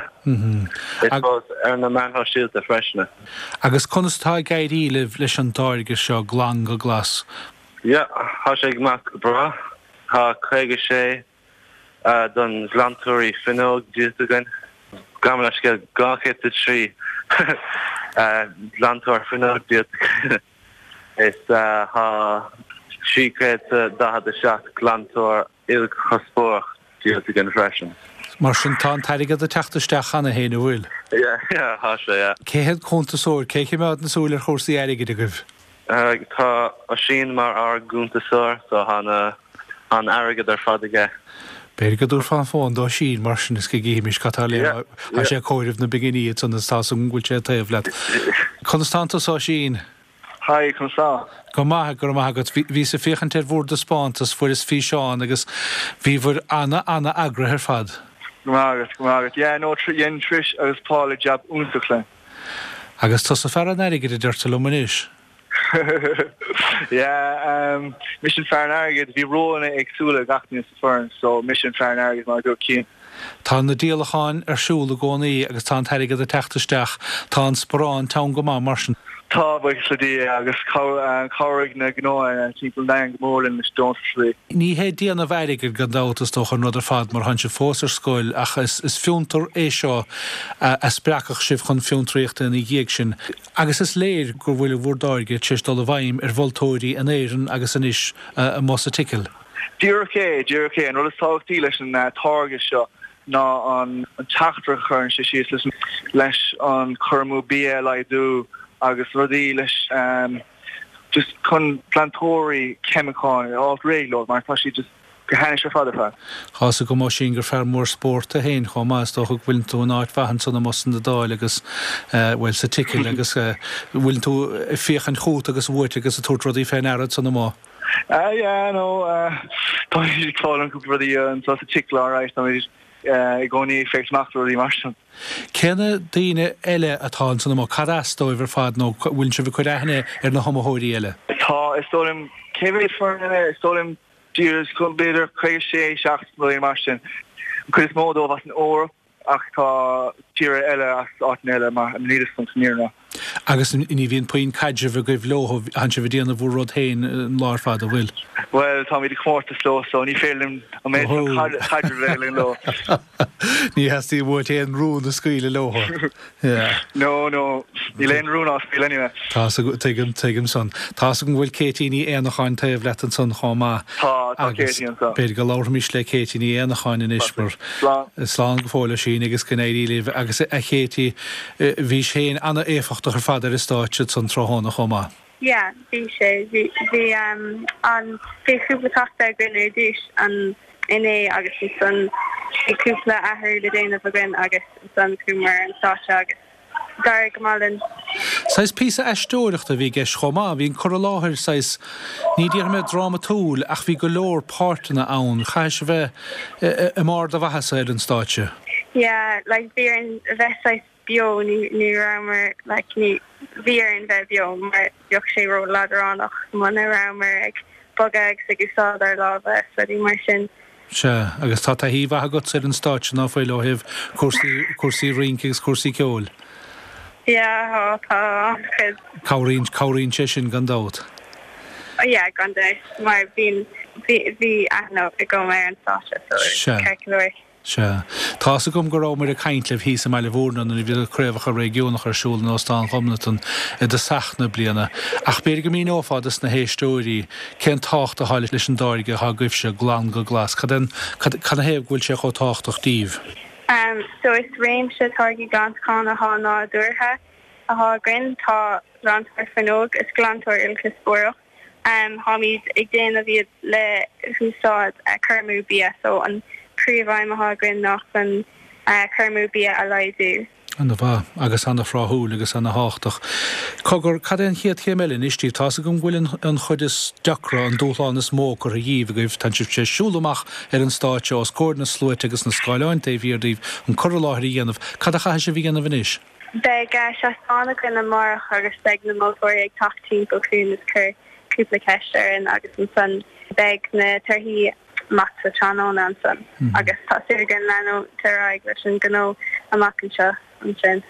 suppose ar na meáin shóisialta freisin. Agus conas atá ag éirí libh leis an dtáirge seo, Glan go Glas? Yeah, tá sé ag imeacht go breá. Tá 56 don ghlantóirí fuinneog díolta againn. Gabh mo leithscéal, 203 glantóir fuinneog díolta againn. Is tá 347 glantóir ilchuspóireach díolta againn freisin. Mar sin, tá an t-airgead ag teacht isteach cheana féin, an bhfuil? Yeah, yeah, tá sé, yeah. Cé hiad cuntasóir? Cé a choimeádann súil ar chúrsaí airgid agaibh? Tá Oisín mar ár gcuntasóir, so tá na, an airgead ar fad aige. B'fhéidir go dtabharfá an fón d'Oisín mar sin is go gcífimis cad tá le rá. Tá sé ag comhaireamh na bpinginí ansan is tá's agam go bhfuil sé taobh leat. Conas tánn tusa Oisín? Hi, conas tá? Go maith, go raibh maith agat. Bhíos ag féachaint ar bhur dtaispeántas, fuaireas físeán agus bhíobhair ana-ana-eagraithe ar fad. Go raibh maith agat, go raibh maith agat. Yeah, no, dhein Trish agus Paula jab iontach linn. Agus tusa fear an airgid a deirtear liom anois. Yeah, um, mise an fear an airgid. Bhí rólanna éagsúla ag gach duine sa foireann, so mise an fear an airgid mar a dúirt Cian. Tá na díolacháin ar siúl i gcónaí agus tá an t-airgead ag teacht isteach. Tá an sparán teann go maith mar sin. Tá, buíochas le Dia, agus chabhraigh na gnóanna timpeall an domhain go mór linn leis deontais. Ní hé déanamh airgid gan dabht is dócha an rud ar fad mar tánn sibh fós ar scoil ach is fiontar é seo a spreagfadh sibh chun fiontraíochta ina dhiaidh sin agus is léir go bhfuil bhur dtáirge tar éis dul i bhfeidhm ar mholtóirí in Éirinn agus anois amuigh sa tSicil. Díreach é, díreach é. An rud is tábhachtaí leis an táirge seo ná an teachtaireacht a chuireann sé síos leis, leis an cur amú bia a laghdú agus rudaí leis just chun glantóirí ceimiceáin a fháilt réidh leo mar tá siad just go hainnis ar fad ar fad. Tá's agam Oisín gur fear mór spóirt tú féin chomh maith, is dócha go bhfuileann tú in áit mhaith ansan amuigh san Iodáil agus, bhuel, sa tSicil agus bhfuileann tú ag féachaint chugat agus uait agus ag tabhairt rudaí fé ndeara ansan amuigh. Ah yeah no táimid ag foghlaim cúpla rudaí anseo sa tSicil alright táimid i gcónaí ag féachaint amach do rudaí mar sin. Cé na daoine eile atá ansan amuigh? Cad as dóibh ar fad nó bhfuileann sibh ag cur aithne ar na hiomaitheoirí eile? Tá, is dóigh liom, cé mhéad foireann eile? Is dóigh liom b'fhéidir 56, 7 rudaí mar sin. An cuid is mó dóibh as an Eoraip. Ach tá tíortha eile as áiteanna eile mar níl fhios agam san fhírinne. Agus ní bhíonn puinn caidrimh agaibh leo, tánn sibh ag déanamh bhur rud féin an lá ar fad, an bhfuil? Bhuel, táimid ag comórtas leo so ní féidir linn an méid sin caidrimh a bheith againn leo. Ní theastaíonn uait aon rún a scaoileadh leo. Yeah. No, no, níl aon rún á scaoileadh anyway. Tá's agam, tuigim, tuigim san. Tá's agam go bhfuil Katie Ní Éanacháin taobh leat ansan chomh maith. Tá, tá Katie anseo. B'fhéidir go labharfaimis le Katie Ní Éanacháin anois mar. Slán. Slán go fóill Oisín agus go n-éirí libh. Agus a Katie, bhís féin ana-éifeachtach ar fad ar an stáitse ansan tráthnóna chomh maith. Yeah, bhí sé. Bhí, bhí an, bhí cúpla cleachtadh againn ar dtús an inné agus ansan bhí cúpla athrú le déanamh againn agus ansan chuamar ar an stáitse agus d'éirigh go maith linn. Saghas píosa aisteoireachta a bhí i gceist chomh maith. Bhí an cur i láthair saghas, ní déarfaidh mé drámatúil ach bhí go leor páirteanna ann. Chaithfidh sibh bheith i mbarr do mhaitheasa ar an stáitse. Yeah, like bhí orainn a bheith saghas beo, ní ní rabhamar like ní bhí orainn bheith beo mar bheadh sé ró leadránach muna rabhamar ag bogadh agus ag úsáid ár lámha is rudaí mar sin. Sea, agus tá taithí mhaith agatsa ar an stáitse ná fuil ó thaobh cúrsaí cúrsaí rince agus cúrsaí ceoil? Yeah, tá, tá an-chuid. Cabhraíonn cabhraíonn sé sin gan dabht. Yeah, gan dabht, mar bíonn bhí bhí aithne agam ar an stáitse so Sea. ceart go leor. Sea. Tá's agam go rabhamar ag caint libh thíos i mBaile Bhúirne nuair a bhí na craobhacha réigiúnacha ar siúl in Óstán Ghobnatan i dtosach na bliana, ach b'fhéidir go míneofá dos na héisteoirí cén tábhacht atá leis an dtáirge atá agaibhse, Glan go Glas. Cad é an, cad, canathaobh go bhfuil sé chomh tábhachtach díbh? So is réimse táirgí glantacháin atá nádúrtha atá againn. Tá glantóir fuinneog is glantóir ilchuspóireach. Táimid ag déanamh iad le húsáid cur amú bia so an príomhaidhm atá againn ná chun cur amú bia a laghdú. Ana mhaith, agus ana thráthúil agus ana thábhachtach. Cogar, cad é an chéad chéim eile anois díbh? Tá's agam go bhfuil an chuid is deacra, an dúshlán is mó curtha dhíbh agaibh, tánn sibh tar éis siúl amach ar an stáitse os comhair na sluaite agus na scáileáin taobh thiar díbh, an cur i láthair a dhéanamh. Cad a chaithfidh sibh a dhéanamh anois? Beidh seastán againn amárach agus beidh na moltóirí ag teacht timpeall chugainn is cur cúpla ceist orainn agus ansan beidh na torthaí amach sa tráthnóna ansan agus tá súil againn leanúint ar aghaidh leis an gnó amach anseo ansin.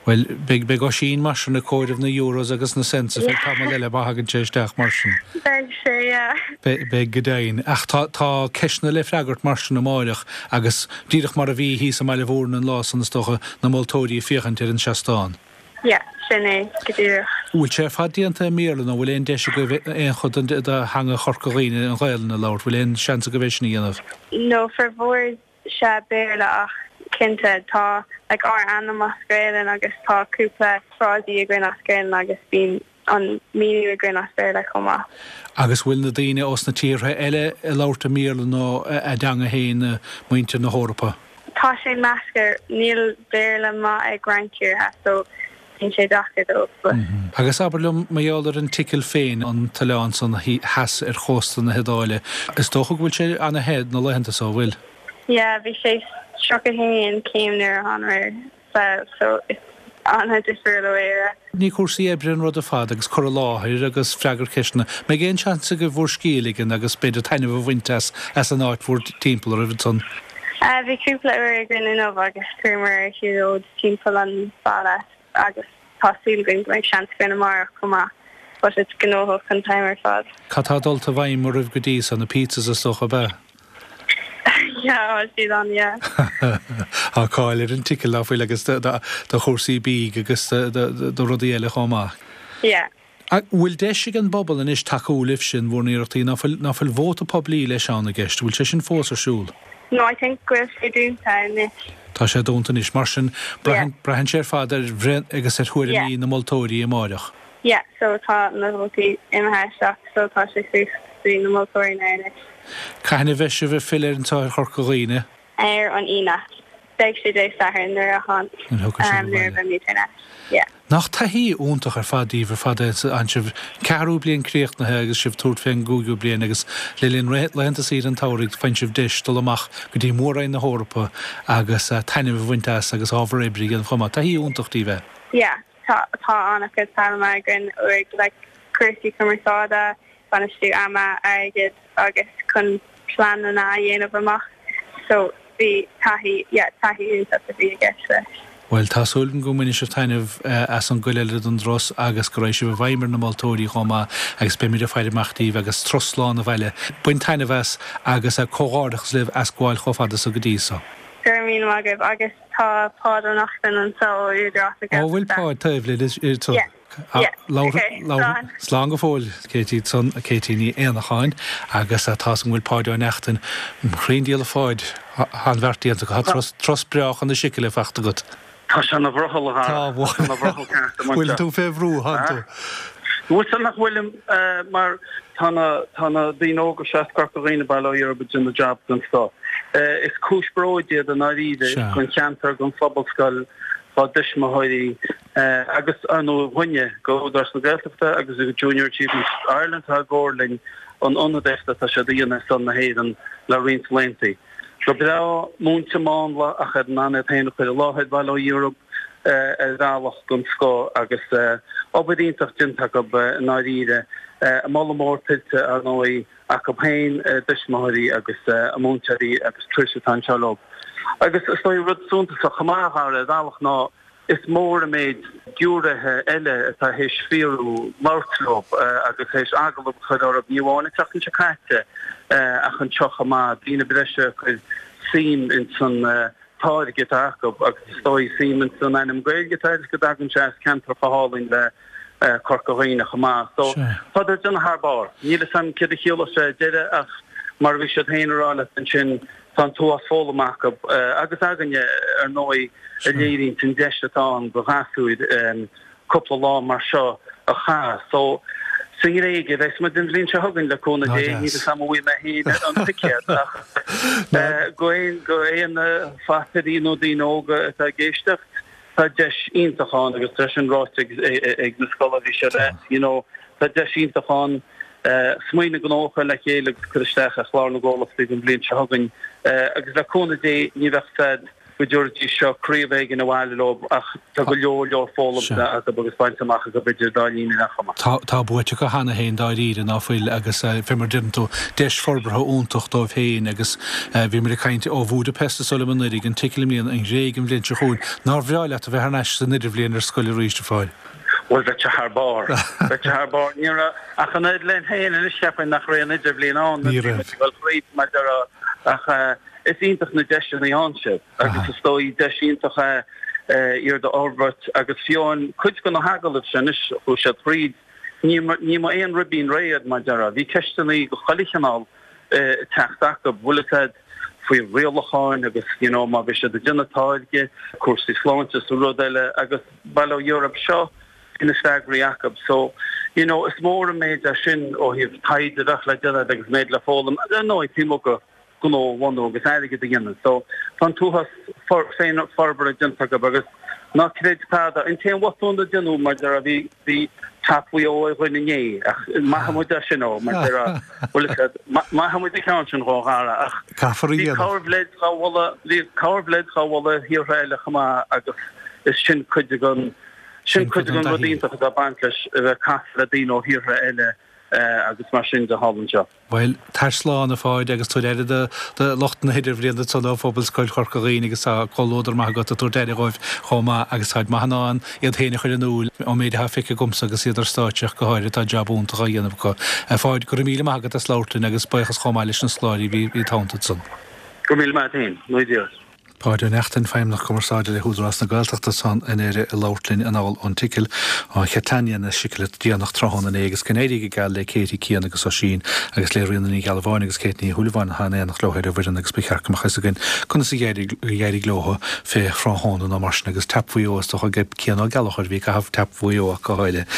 Bhuel, beidh, beidh Oisín mar sin ag comhaireamh na euros agus na cents ar feadh tamall eile má thagann sé isteach mar sin. Beidh sé, yeah. Beidh, beidh go deimhin. Ach tá, tá ceisteanna le freagairt mar sin amáireach agus Díreach mar a bhí thíos i mBaile Bhúirne an lá san, is dócha, na moltóirí ag féachaint ar an seastán. Yeah, sin é go díreach. Bhfuil sé ar fad déanta i mBéarla nó bhfuil aon deis agaibh aon chuid den de theanga Chorca Dhuibhne, an Ghaelainn, a labhairt? Bhfuil aon seans agaibh é sin a dhéanamh? No, formhór sea Béarla ach. Cinnte, tá like ár ainm as Gaelainn agus tá cúpla frásaí againn as Gaelainn agus bíonn an míniú againn as Béarla chomh maith. Agus bhfuil na daoine ós na tíortha eile ag labhairt i mBéarla nó a dteanga féin, muintir na hEorpa? Tá sé measctha, níl Béarla maith ag roinnt tíortha so bíonn sé deacair dóibh but. Agus abair liom mar gheall ar an tSicil féin, an t-oileán san theas ar chósta na hIodáile, is dócha go bhfuil sé ana-the na laethanta so, an bhfuil? Yeah, bhí sé 31 céim nuair a thánamar sall so is an-difriúil ó Éire. Ní cúrsaí oibre an rud ar fad agus cur i láthair agus freagairt ceisteanna. Mbeidh aon seans agaibh bhur scíth a ligean agus b'fhéidir taitneamh a bhaint as as an áit bhur dtimpeall oraibh ansan? Bhí cúpla uair againn inniu agus chuamar ar shiúlóid timpeall an bhaile agus tá súil againn go mbeidh seans againn amárach chomh maith but it's gnóthach an t-am ar fad. Cad tá dulta i bhfeidhm oraibh go dtí so? Na pizzas is dócha ab ea? Yeah, tá siad ann, yeah. Tá cáil ar an tSicil, ná fuil, agus do chúrsaí bídh agus do rudaí eile chomh maith. Yeah. An bhfuil deis ag an bpobal anois tacú libhse in bhur n-iarrachtaí? Ná fuil, ná fuil vóta poiblí leis ann i gceist? Bhfuil sé sin fós ar siúl? No, I think go bhfuil sé dúnta anois. Tá sé dúnta anois. Mar sin, braitheann, braitheann sé ar fad ar bhreith agus ar thuairimí na moltóirí amáireach. Yeah, so tá na vótaí imithe isteach so tá sé suas go dtí na moltóirí now anois. Cathain a bheidh sibh ag filleadh anseo ar Chorca Dhuibhne? Ar an Aoine. Beidh sé Dé Sathairn nuair a tháin, Nuair a thiocfaidh sibh nuair a abhaile. bheimid thar n-ais. Yeah. Nach taithí iontach ar fad daoibh ar fad é tánn sibh ceathrú bliain críochnaithe agus sibh tabhairt fén gcúigiú bliain agus le linn laethanta saoire an tsamhraidh faigheann sibh deis dul amach go dtí Mór-Roinn na hEorpa agus taitneamh a bhaint as agus ábhar oibre a dhéanamh chomh maith. Taithí iontach daoibh é. Yeah. Tá tá an-chuid foghlama againn uaidh like cúrsaí cumarsáide, bainistiú ama, airgid agus chun pleananna a dhéanamh amach so bhí taithí yeah taithí iontach a bhí i gceist leis. Bhuel, tá súil agam go mbainfidh sibh taitneamh as an gcuid eile den dturas agus go raghaidh sibh i bhfeidhm ar na moltóirí chomh maith agus beimid ag faire amach daoibh agus turas slán abhaile. Bain taitneamh as agus comhghairdeachas libh as gabháil chomh fada so go dtí so. Go raibh míle maith agaibh agus Tá Páid Ó Neachtain anseo ó Údarás na Ó, bhfuil Gaeltachta. Páid taobh linn anseo? Yeah, yeah, ok, slán. Slán go fóill, Katie, san, Katie Ní Éanacháin, agus tá 's agam go bhfuil Páid Ó Neachtain, thrín díol a Pháid, tá an bheart déanta agat, tá turas, turas breá chun na Sicile fachta agat. Tá sé ina bhrothall, a Dhara. Tá sé ina bhrothall ceart, a Bhfuil tú fé bhrú, thánn tú? Bhfuil 's nach bhfuilim, mar tá na, tá na daoine óga seo as Corca Dhuibhne, bail ó Dhia orthu, ag déanamh jab den scoth. Is cúis bróid iad i ndáiríre don cheantar, don phobalscoil, dá dtuismitheoirí agus, ar ndóigh, dhúinne, go Údarás na Gaeltachta agus go Junior Achievement Ireland atá i gcomhar linn an ionadaíocht atá siad a dhéanamh ar son na hÉireann le roinnt laethanta. Go breá múinte mánla ach ar an an iad féin a chur i láthair, bail ó Dhia orthu, ar bhealach den scoth agus obair iontach déanta acu i ndáiríre. Moladh mór tuillte, ar ndóigh, acu féin, a dtuismitheoirí agus a múinteoirí agus Trish atá anseo leo. Agus is dóigh rud suntasach chomh maith, a Dhara, ar bhealach ná is mór an méid giúiréithe eile atá théis fiafraí labhairt leo agus théis agallamh a chur orthu, ní amháin an tseachtain seo caite ach anseo chomh maith, daoine breise a chuir suim ins an táirge atá acu agus is dóigh suim ins an ainm Gaeilge atá air is go dtagann sé as ceantar chomh hálainn le Corca Dhuibhne chomh maith. So, tá siad ag déanamh thar barr. Níl fhios a'm céard a chiallós sé ar deireadh ach mar a bhí siad féin a rá leat ansin, tá an t-uafás foghlamtha acu agus againne ar ndóigh a léiríonns an deis atá ann do ghasúir cúpla lá mar seo a chaitheamh. So, sa nGréig a bheas muid an bhliain seo chugainn le cúnamh Dé, níl fhios a'm an bhfaighidh mé féin an ticéad ach go aon go aon phapairí nó daoine óga atá ag éisteacht, tá deis iontach ann agus tá sin ráite ag na scoláirí seo leat, you know, tá deis iontach ann smaoineamh gnó a chur le chéile agus cur isteach ar Chlár na gComhlachtaí don bhliain seo chugainn agus le cúnamh Dé ní bheadh fad go dtabharfaidís seo craobh éigin abhaile leo ach tá go leor leor foghlamtha acu agus bainte amach acu idir dá linn ar aon chuma. Tá, tá buaite acu cheana féin dáiríre, ná fuil, agus fé mar a deireann tú, deis forbartha iontach dóibh féin agus bhí muid ag caint ó Bhúdaipeist is dóigh liom anuraidh, an tSicil i mbliana, an Ghréig an bhliain seo chugainn. Nár bhreá leat a bheith thar n-ais san idirbhliain ar scoil arís, a Pháid? Bhuel, bheadh sé thar barr. Bheadh sé thar barr. Ní raibh ach an oiread linn féin anois, cheapfainn nach raibh aon idirbhliain ann. Ní raibh. Bhí muid ag dul thríd, mar a déarfá, ach Is iontach na deiseanna a fhaigheann siad agus is dóigh deis iontach é iad a fhorbairt agus fiú amháin cuid de na hagallaimh sin anois chuaigh siad thríd, ní ní mba aon ribín réidh iad mar a déarfá. Bhí ceisteanna de chuile chineál ag teacht acu, bhfuil fhios a'd. faoi rialacháin agus you know má bhí siad ag déanamh táirge, cúrsaí sláinte is rud eile agus bail ó Dhia orthu seo bhí na freagraí acu. So you know is mór an méid é sin ó thaobh taighde a bheadh le déanamh agus méid le foghlaim ar ndóigh taobh amuigh de gnó a bhunú agus airgead a dhéanamh. So tá an t-uafás féin forbartha déanta acu agus ná creid tada. An t-aon bhotún a déanadh mar deir bhí bhí Tap Mhaigh Eo ar dhuine inné ach maithfidh muid é sin ó mar deir bhfuil a fhios agat maithfidh muid an ceann sin dhó Dhara ach Caithfear a bhí dhéanamh. corrbhleid dhá mholadh bhí corrbhleid dhá mholadh ar thíortha eile chomh maith agus is sin cuid den sin Sin cuid cuid den den rud taithí. iontach atá ag baint leis a bheith ag casadh le daoine ó thíortha eile agus mar sin de thall anseo. Bhuel, tar slán, a Pháid, agus tabhair aire do lucht na hidirbhliana ansan ó Phobalscoil Chorca Dhuibhne agus tá comhluadar maith agat ag tabhairt aire dhóibh chomh maith agus táid maith in ann iad féin a chur in iúl ón méid atá feicthe agamsa agus iad ar stáitse ach go háirithe tá jab iontach á dhéanamh acu. A Pháid, go raibh míle maith agat as labhairt linn agus buíochas chomh maith leis na scoláirí a bhí id theannta ansan. Go raibh míle maith agat féin, a Dhara. Páid Ó Neachtain, Feidhmeannach Cumarsáide le hÚdarás na Gaeltachta ansan i nDoire ag labhairt linn anall ón tSicil, ó Chatania na Sicile déanach tráthnóna inné agus go n-éirí go geal le Katie, Cian agus Oisín agus le Ríona Ní Ghealbháin agus Kate Ní Shúilleabháin atá in éineacht leo ar an bhfoireann agus ba cheart go mbeadh fhios againn conas a d'éirigh leo fé thráthnóna nó mar sin agus Tap Mhaigh Eo is dócha ag Cian Ó Gallchóir a bhí ag caitheamh Tap Mhaigh Eo ach go háirithe.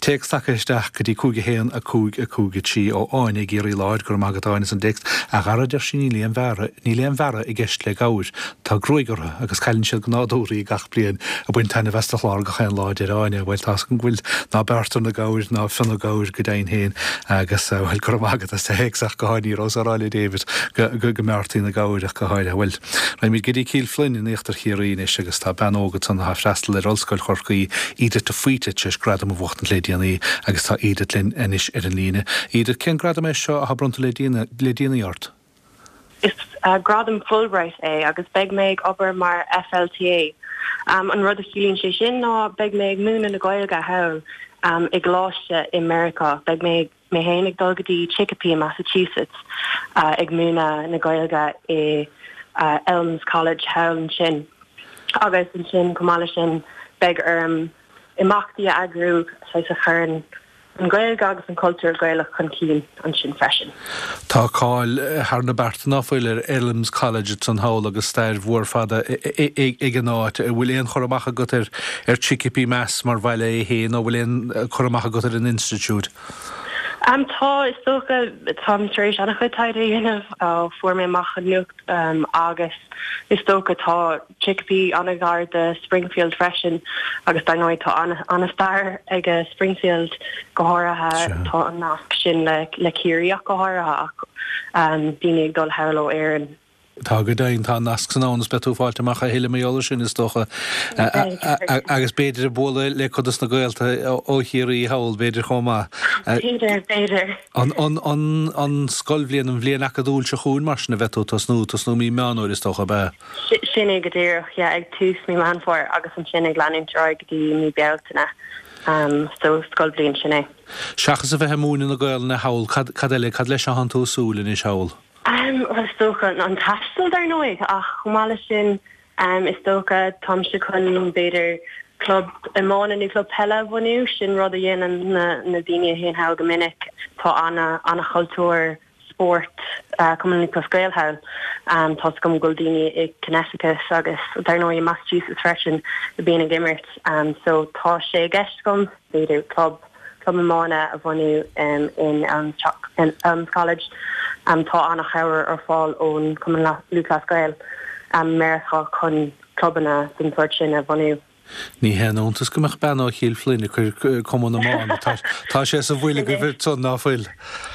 Téacs tagtha isteach go dtí 5 1 5 5 3 ó Áine i gCiarraí Láir, go raibh maith agat Áine as an dtéacs. A Dhara deir sí níl aon bhearra Níl aon bhearradh i gceist le gabhair. Tá gruaig orthu agus cailleann siad go nádúrtha í gach bliain. Ag baint taitneamh as do chlár gach aon lá, a deir Áine. Bhuel, tá's agam go bhfuil. Ná bearrtar na gabhair, ná fionnadh gabhair go deimhin féin. Agus, bhuel, go raibh maith agat as do théacs ach go háirithe. Ní rabhas á rá le David go, go, go mbearrtaí na gabhair ach go háirithe. Bhuel, raghaimid go dtí Cill Floinn in íochtar Chiarraí anois agus tá bean óg ansan atá ag freastal ar Ollscoil Chorcaí, Edith de Faoite, tar éis gradam a bhuachtaint le déanaí agus tá Edith linn anois ar an líne. Edith, cén gradam é seo atá bronnta le le déanaí ort? Is gradam Fulbright é agus beidh mé ag obair mar FLTA. An rud a chiallaíonn sé sin ná beidh mé ag múineadh na Gaeilge thall i gcoláiste i Meiriceá. Beidh mé mé féin ag dul go dtí Chicopee i Massachusetts ag múineadh na Gaeilge i Elms College thall ansin. Agus ansin chomh maith leis sin beidh orm imeachtaí a eagrú saghas a chuireann an Ghaeilge agus an cultúr Gaelach chun cinn ansin freisin. Tá cáil thar na bearta ná fuil ar Elms College ansan thall agus stair mhór fada ag an áit. An bhfuil aon chur amach agat ar Chicopee Mass mar bhaile é féin nó an bhfuil aon chur amach agat ar an institiúid? Tá, is dócha. Táim tar éis an-chuid taighde a dhéanamh ó fuair mé amach an nuacht agus is dócha tá Chicopee an-ghar do Springfield freisin agus dar ndóigh tá an-stair ag Springfield go háirithe tá an nasc sin le Ciarraí ach go háirithe ach daoine ag dul thall ó Éirinn. Tá go deimhin, tá an nasc san ann is beidh tú ag fáilt amach a thuilleadh mar gheall air sin is dócha agus b'fhéidir ag bualadh le cuid dos na gaolta ó Chiarraí thall b'fhéidir chomh maith. B'fhéidir, b'fhéidir. An, an, an, an scoilbhliain, an bhliain acadúil seo chugainn mar sin a bheidh tú ag tosnú, tosnú mí Meán Fhómhair is dócha, ab ea? Sin é go díreach, yeah, ag tús mí Meán Fómhair agus ansin ag leanúint ar aghaidh go dtí mí Bealtaine. So scoilbhliain, sin é. Seachas a bheith ag múineadh na Gaolainne thall, cad, cad eile, cad leis atánn tú ag súil anois thall? Bhuel, is dócha an taisteal, dar ndóigh, ach chomh maith leis sin, is dócha, táimse chun, b'fhéidir, club iomána nó club peile a bhunú, sin rud a dhéanann na, na daoine a théann thall go minic. Tá ana, ana-chultúr spóirt Cumann Lúthchleas Gael thall. Tá's agam go bhfuil daoine i Connecticut agus dar ndóigh i Massachusetts freisin a bhíonn ag imirt. So tá sé i gceist agam b'fhéidir club club iomána a bhunú in Elms College. Tá an-chabhair ar fáil ón Cumann Lúthchleas Gael i Meiriceá chun clubanna den sórt sin a bhunú. Ní haon iontas go mbeadh bean ó Chill Floinn ag cur cumann iomána. Tá sé sa bhfuil agaibh ansan, ná fuil?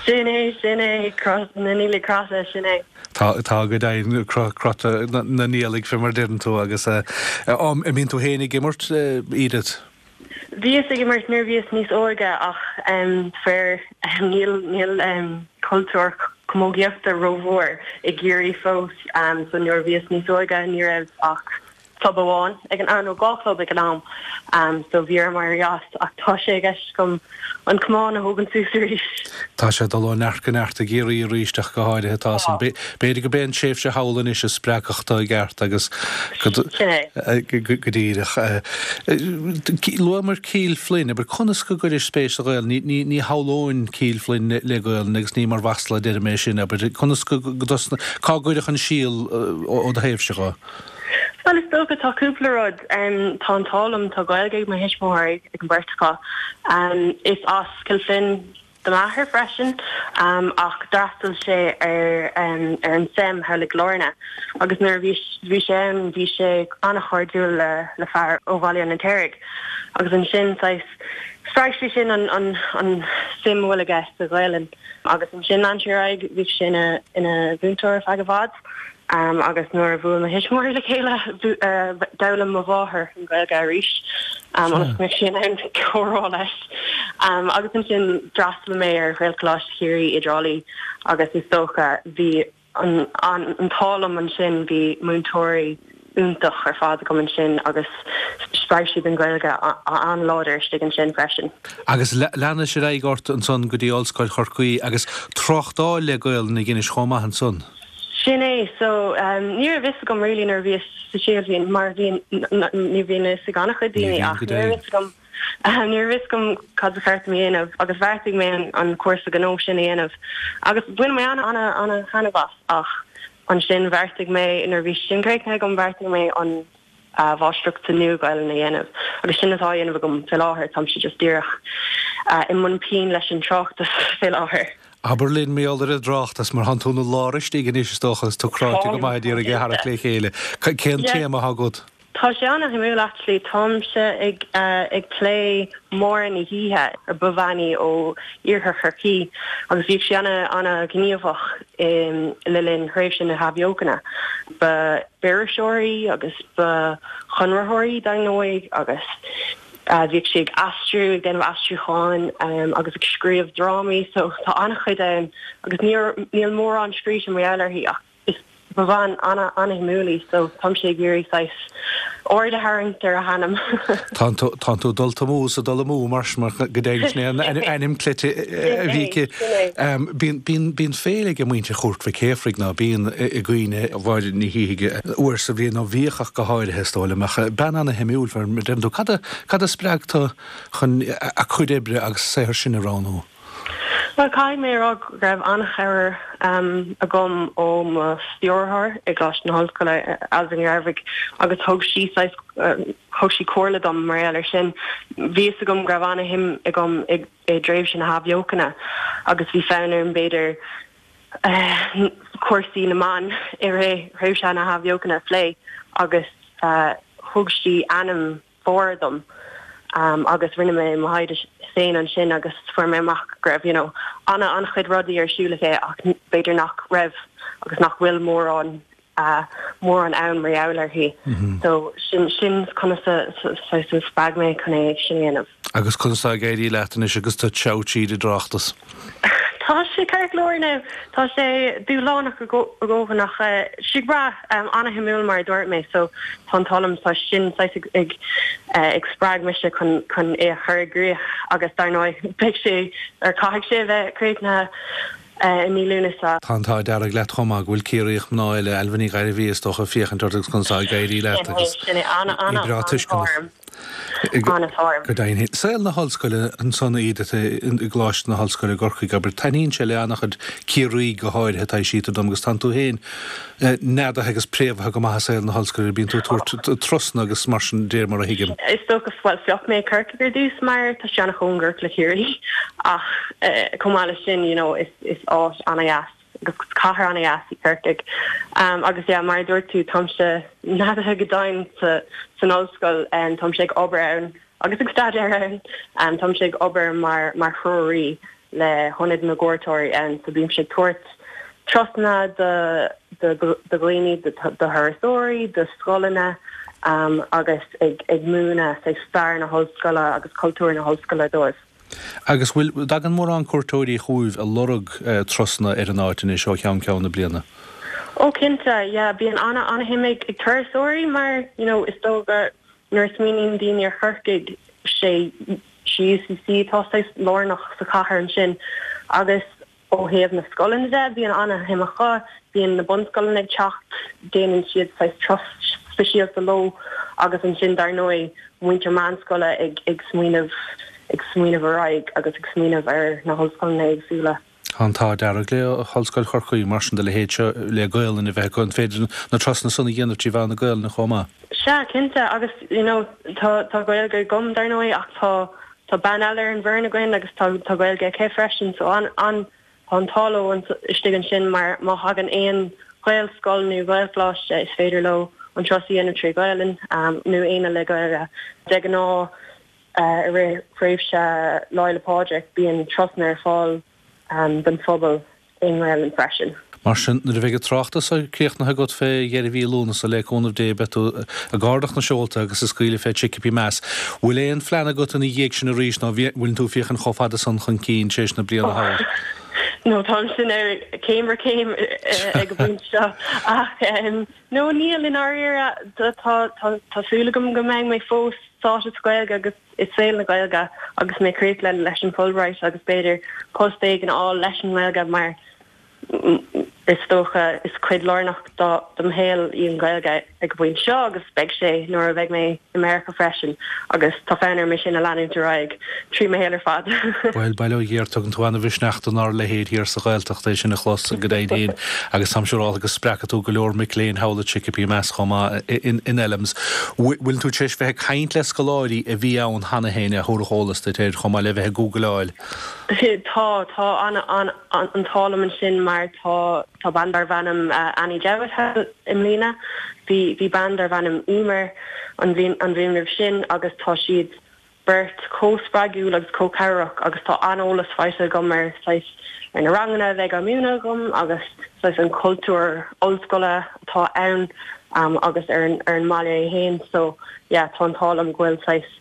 Sin é, sin é, cros na niallaigh croite, sin é. Tá, tá go deimhin, croite na niallaigh, fé mar deireann tú, agus an mbíonn tú féin ag imirt, Edith? Bhíos ag imirt nuair a bhíos níos óige ach faraor níl, níl cultúr camógaíochta rómhór i gCiarraí fós so nuair a bhíos níos óige ní raibh ach. Club amháin ag an am, nó 2 chlub ag an am, so bhí orm éirí as ach tá sé i gceist agam an camán a thógaint suas arís. Tá sé ag dul ó neart go neart i gCiarraí arís ach go háirithe tá san. B'fhéidir gurb é an tréimhse thall anois a spreagfadh tú i gceart agus go Sin é. go díreach. Luamar Cill Floinn, abair conas go gcuiris spéis sa Ghaelainn, ní ní shamhlóinn Cill Floinn le Gaelainn agus ní mar mhasla a deirim é sin, abair conas go cá gcuirfeadh an síol ó do thaobhse dho? Bhuel, is dócha, tá cúpla rud. Tá an t-ádh liom, tá Gaeilge ag mo thuismitheoirí, ag an beirt acu. Is as Cill Floinn do m'athair freisin, ach d'fhreastail sé ar ar an SEM thall i gCill Airne agus nuair a bhí bhí sé ann bhí sé an-chairdiúil le le fear ó Bhaile an Fheirtéaraigh agus ansin saghas spreag sé sin an an an suim a bhfuil aige sa Ghaelainn agus ansin lean sé ar aghaidh, bhí sé ina ina mhúinteoir ar feadh i bhfad. Agus nuair a bhuail mo thuismitheoirí le chéile, d'fhoghlaim mo mháthair an Ghaeilge arís ionas go mbeadh sí in ann comhrá leis. Agus ansin d'fhreastail mé ar Ghaelcholáiste Chiarraí i dTrá Lí agus is dócha bhí an t-ádh liom ansin, bhí múinteoirí iontach ar fad agam ansin agus spreag siad an Ghaeilge an-láidir istigh ansin freisin. Agus leanais ar aghaidh ort ansan go dtí Ollscoil Chorcaí agus tráchtáil le Gaelainn a dheinis chomh maith ansan. Sin é, so ní raibh fhios agam really nuair a bhíos sa séú bhliain mar bhí, ní bhíonn a fhios ag an-chuid daoine ach ní raibh fhios agam, ní raibh fhios agam cad ba cheart dom a dhéanamh agus bheartaigh mé an cúrsa gnó sin a dhéanamh agus bhain mé an-an-an-thaitneamh as ach ansin bheartaigh mé nuair a bhí sin críochnaithe agam bheartaigh mé an mháistreacht sa Nua-Ghaelainn a dhéanamh agus sin atá á dhéanamh agam fé láthair, táimse just díreach i mbun pinn leis an tráchtas fé láthair. Abair linn mar gheall ar an dtráchtas, mar thánn tú ina lár istigh anois is dócha agus tú cráite go maith ag iarraidh é a tharrac le chéile. Cén téama atá agat? Tá sé an-shuimiúil actually, táimse ag ag plé Máire Ní Shíthigh, ar ba bhean í ó iarthar Chorcaí agus bhíodh sí ana-ghníomhach le linn thréimhse na hAthbheochana. Ba b'iriseoir í agus ba chonraitheoir í dar ndóigh agus bhíodh sí ag aistriú, ag déanamh aistriúcháin agus ag scríobh drámaí so tá an-chuid ann agus níl mórán scríte mar gheall uirthi ach is ba bhean ana-shuimiúil í so táimse ag iarraidh saghas aird a tharraingt ar a hainm. Tánn tú, tánn tú dulta amú sa dul amú mar sin, mar go deimhin sin é an ainm cleite a bhí aici. Bíonn, bíonn, bíonn féile ag muintir Chúirt Mhic Shéafraidh ná bíonn i gcuimhne Mháire Ní Shíthigh uair sa bhliain, nó bhíodh ach go háirithe is dóigh liom, ach bean ana-shuimiúil, mar a deireann tú. Cad a, cad a spreag tú chun a cuid oibre agus a saothar sin a roghnú? Bhuel, caithfidh mé a rá go raibh an-chabhair agam ó mo stiúrthóir i gColáiste na hOllscoile, Ailbhe Ní Ghairbhigh, agus thug sí saghas, thug sí comhairle dom mar gheall air sin. Bhí fhios agam go raibh an-shuim agam i dtréimhse na hAthbheochana agus bhí fonn orm b'fhéidir cúrsaí na mban i rith thréimhse na hAthbheochana a phlé agus thug sí ainm Mháire dom agus rinne mé mo thaighde féin ansin agus fuair mé amach go raibh you know ana an-chuid rudaí ar siúl aici ach b'fhéidir nach raibh agus nach bhfuil mórán mórán ann mar gheall uirthi. So sin sin conas a saghas a spreag mé chun é sin a dhéanamh. Agus conas tá ag éirí leat anois agus tú ag treabhadh tríd an dtráchtas? Tá sé ceart go leor now. Tá sé dúshlánach a dhóthain ach sé breá, ana-shuimiúil mar a dúirt mé so tá an t-ádh liom tá sin saghas ag ag spreag mise chun chun é a chur i gcrích agus dar ndóigh beidh sé or caithfidh sé a bheith críochnaithe i mí Lúnasa. Tá an t-ádh dearg leat chomh maith go bhfuil Ciarraíoch mná eile, Ailbhe Ní Ghairbhí is dócha, ag féachaint ort agus conas atá ag éirí leat agus Sin é, ana í breá tuisceanach. An-an-an-t-ádh orm. Go deimhin. Saol na hollscoile ansan Edith i gColáiste na hOllscoile i gCorcaigh, abair, taitníonn sé le an-chuid Ciarraígh go háirithe, taibhsítear dom, agus tánn tú féin neadaithe agus préamhaithe go maith i saol na hollscoile, bíonn tú ag tabhairt turasanna agus mar sin de mar a thuigim. Is dócha, bhuel, phioc mé Corcaigh ar dtús mar tá sé an-chóngarach le Ciarraí ach chomh maith leis sin, you know, is áit an-dheas agus cathair an-dheas í Corcaigh. Agus yeah, mar a dúirt tú, táimse neadaithe go domhain san ollscoil, táimse ag obair ann agus ag staidéar ann. Táimse ag obair mar mar threoraí le hIonad na gCuairteoirí ann, so bímse ag tabhairt turasanna do do dhaoine, do thurasóirí, do scoileanna agus ag ag múineadh saghas stair na hollscoile agus cultúr na hollscoile dóibh. Agus bhfuil, dtagann mórán cuairteoirí chugaibh ag lorg turasanna ar an áit anois ó cheann ceann na bliana? Ó cinnte, yeah, bíonn ana ana-shuim ag turasóirí mar you know is dócha nuair a smaoiníonn daoine ar Chorcaigh sé sé UCC atá saghas lárnach sa chathair ansin agus ó thaobh na scoileanna de bíonn ana-shuim acu, bíonn na bunscoileanna ag teacht, déanann siad saghas turas speisialta leo agus ansin dar ndóigh muintir meánscoile ag ag smaoineamh ag smaoineamh ar aghaidh agus ag smaoineamh ar na hollscoileanna éagsúla. Tá an t-ádh dearg le hOllscoil Chorcaí, mar sin de leithéid seo le Gaolainn a bheith acu. An féidir na turasanna san a dhéanamh trí mheán na Gaolainne chomh maith? Sea, cinnte, agus you know tá tá Gaeilge agam dar ndóigh ach tá tá bean eile ar an bhfoireann againn agus tá tá Gaeilge aici freisin so an an tá an t-ádh leo istigh ansin mar má thagann aon Ghaelscoil nó Ghaelcholáiste is féidir leo an turas a dhéanamh trí Ghaelainn nó éinne le Gaeilge. De ghnáth I rith thréimhse Lá Fhéile Pádraig bíonn turasanna ar fáil don phobal i nGaelainn freisin. Mar sin, nuair a bheidh an tráchtas críochnaithe agat fé dheireadh mhí Lúnasa, le cúnamh Dé, beidh tú ag ardach na seolta agus ag scaoileadh fé Chicopee Mass. Bhfuil aon phlean agat ina dhiaidh sin arís nó bhfuileann tú ag féachaint chomh fada san chun cinn tar éis na bliana thall? No, táimse céim ar chéim ag an bpointe seo ach no níl i ndáiríre. Tá súil agam go mbeidh mé fós sáite sa Ghaeilge agus i saol na Gaeilge agus mé críochnaithe leis an Fulbright agus b'fhéidir post éigin a fháil leis an nGaeilge mar is dócha is cuid lárnach do mo shaol í an Ghaeilge ag an bpointe seo agus beidh sé nuair a bheidh mé i Meiriceá freisin agus tá fonn orm é sin a leanúint ar aghaidh trí mo shaol ar fad. Bhuel, bail ó Dhia ort, tugann tú ana-mhisneach donár leithéid thiar sa Ghaeltacht é sin a chlos go deimhin féin agus táim siúrálta go spreagfaidh tú go leor mic léinn thall i Chicopee Mass chomh maith in LMS. Bhfuil tú tar éis bheith ag caint le scoláirí a bhí ann cheana féin a thabharfadh eolas duit air chomh maith le bheith ag googleáil? Tá, tá an t-ádh liom ansin mar tá tá bean darbh ainm Annie Jowett thall i mbliana, bhí bhí bean darbh ainm Emer an bhliain an bhliain roimh sin agus tá siad beirt chomh spreagúil agus chomh cabhrach agus tá an-eolas faighte agam ar saghas ar na ranganna a bheidh á múineadh agam agus saghas an cultúr ollscoile atá ann agus ar an ar an mbaile é féin so yeah tá an t-ádh liom go bhfuil saghas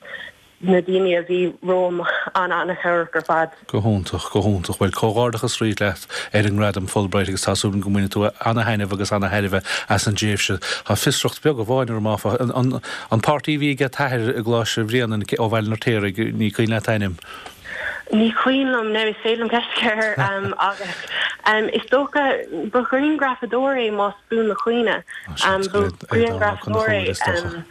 na daoine a bhí romham an-an-chabhrach ar fad. Go hiontach, go hiontach. Bhuel, comhghairdeachas arís leat ar an ngradam Fulbright agus tá súil agam go mbainfidh tú ana-thaitneamh agus ana-thairbhe as an dtréimhse. Tá fiosracht beag amháin orm áfach. An an páirtí a bhí ag t'athair i gColáiste Bhréanainn ó Bhaile an Fheirtéaraigh, ní cuimhin leat a ainm? Ní cuimhin liom, now is féidir liom ceist a chur air agus is dócha ba ghrianghrafadóir é más buan mo chuimhne. Ba ghrianghrafadóir é.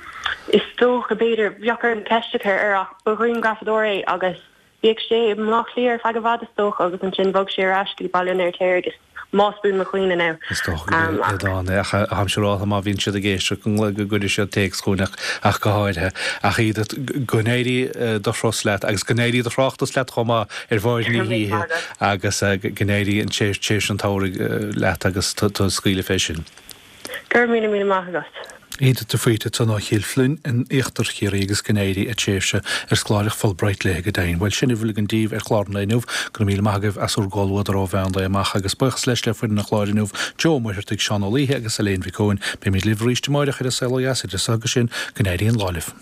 Is dócha, b'fhéidir, bheadh orm ceist a chur air ach ba ghrianghrafadóir é agus bhíodh sé i mBleá Cliath ar feadh i bhfad is dócha agus ansin bhog sé ar ais go dtí Baile an Fheirtéaraigh is más buan mo chuimhne now. Is dócha gurb é Aodán é ach táim siúráltha má bhíonn siad ag éisteacht go gcuirfidh siad téacs chugainn ach ach go háirithe. Ach Edith, go n-éirí do thuras leat agus go n-éirí do thráchtas leat chomh maith ar bharr na hoíche agus go n-éirí an tréimhse an tsamhraidh leat agus tú ag scaoileadh fé sin. Go raibh míle míle maith agat. Edith de Faoite ansan ó Chill Floinn in Íochtar Chiarraí agus go n-éirí a tréimhse ar scoláireacht Fulbright léi go deimhin. Bhuel, sin a bhfuil againn daoibh ar chlár an lae inniu. Go raibh míle maith agaibh as bhur gcomhluadar ó mheán lae amach agus buíochas leis le foireann an chláir inniu, Joe Ó Muircheartaigh, Seán Ó Laoithe agus Elaine Mhic Eoin. Beimid libh arís amáireach ar An Saol Ó Dheas idir so agus sin, go n-éirí an lá libh.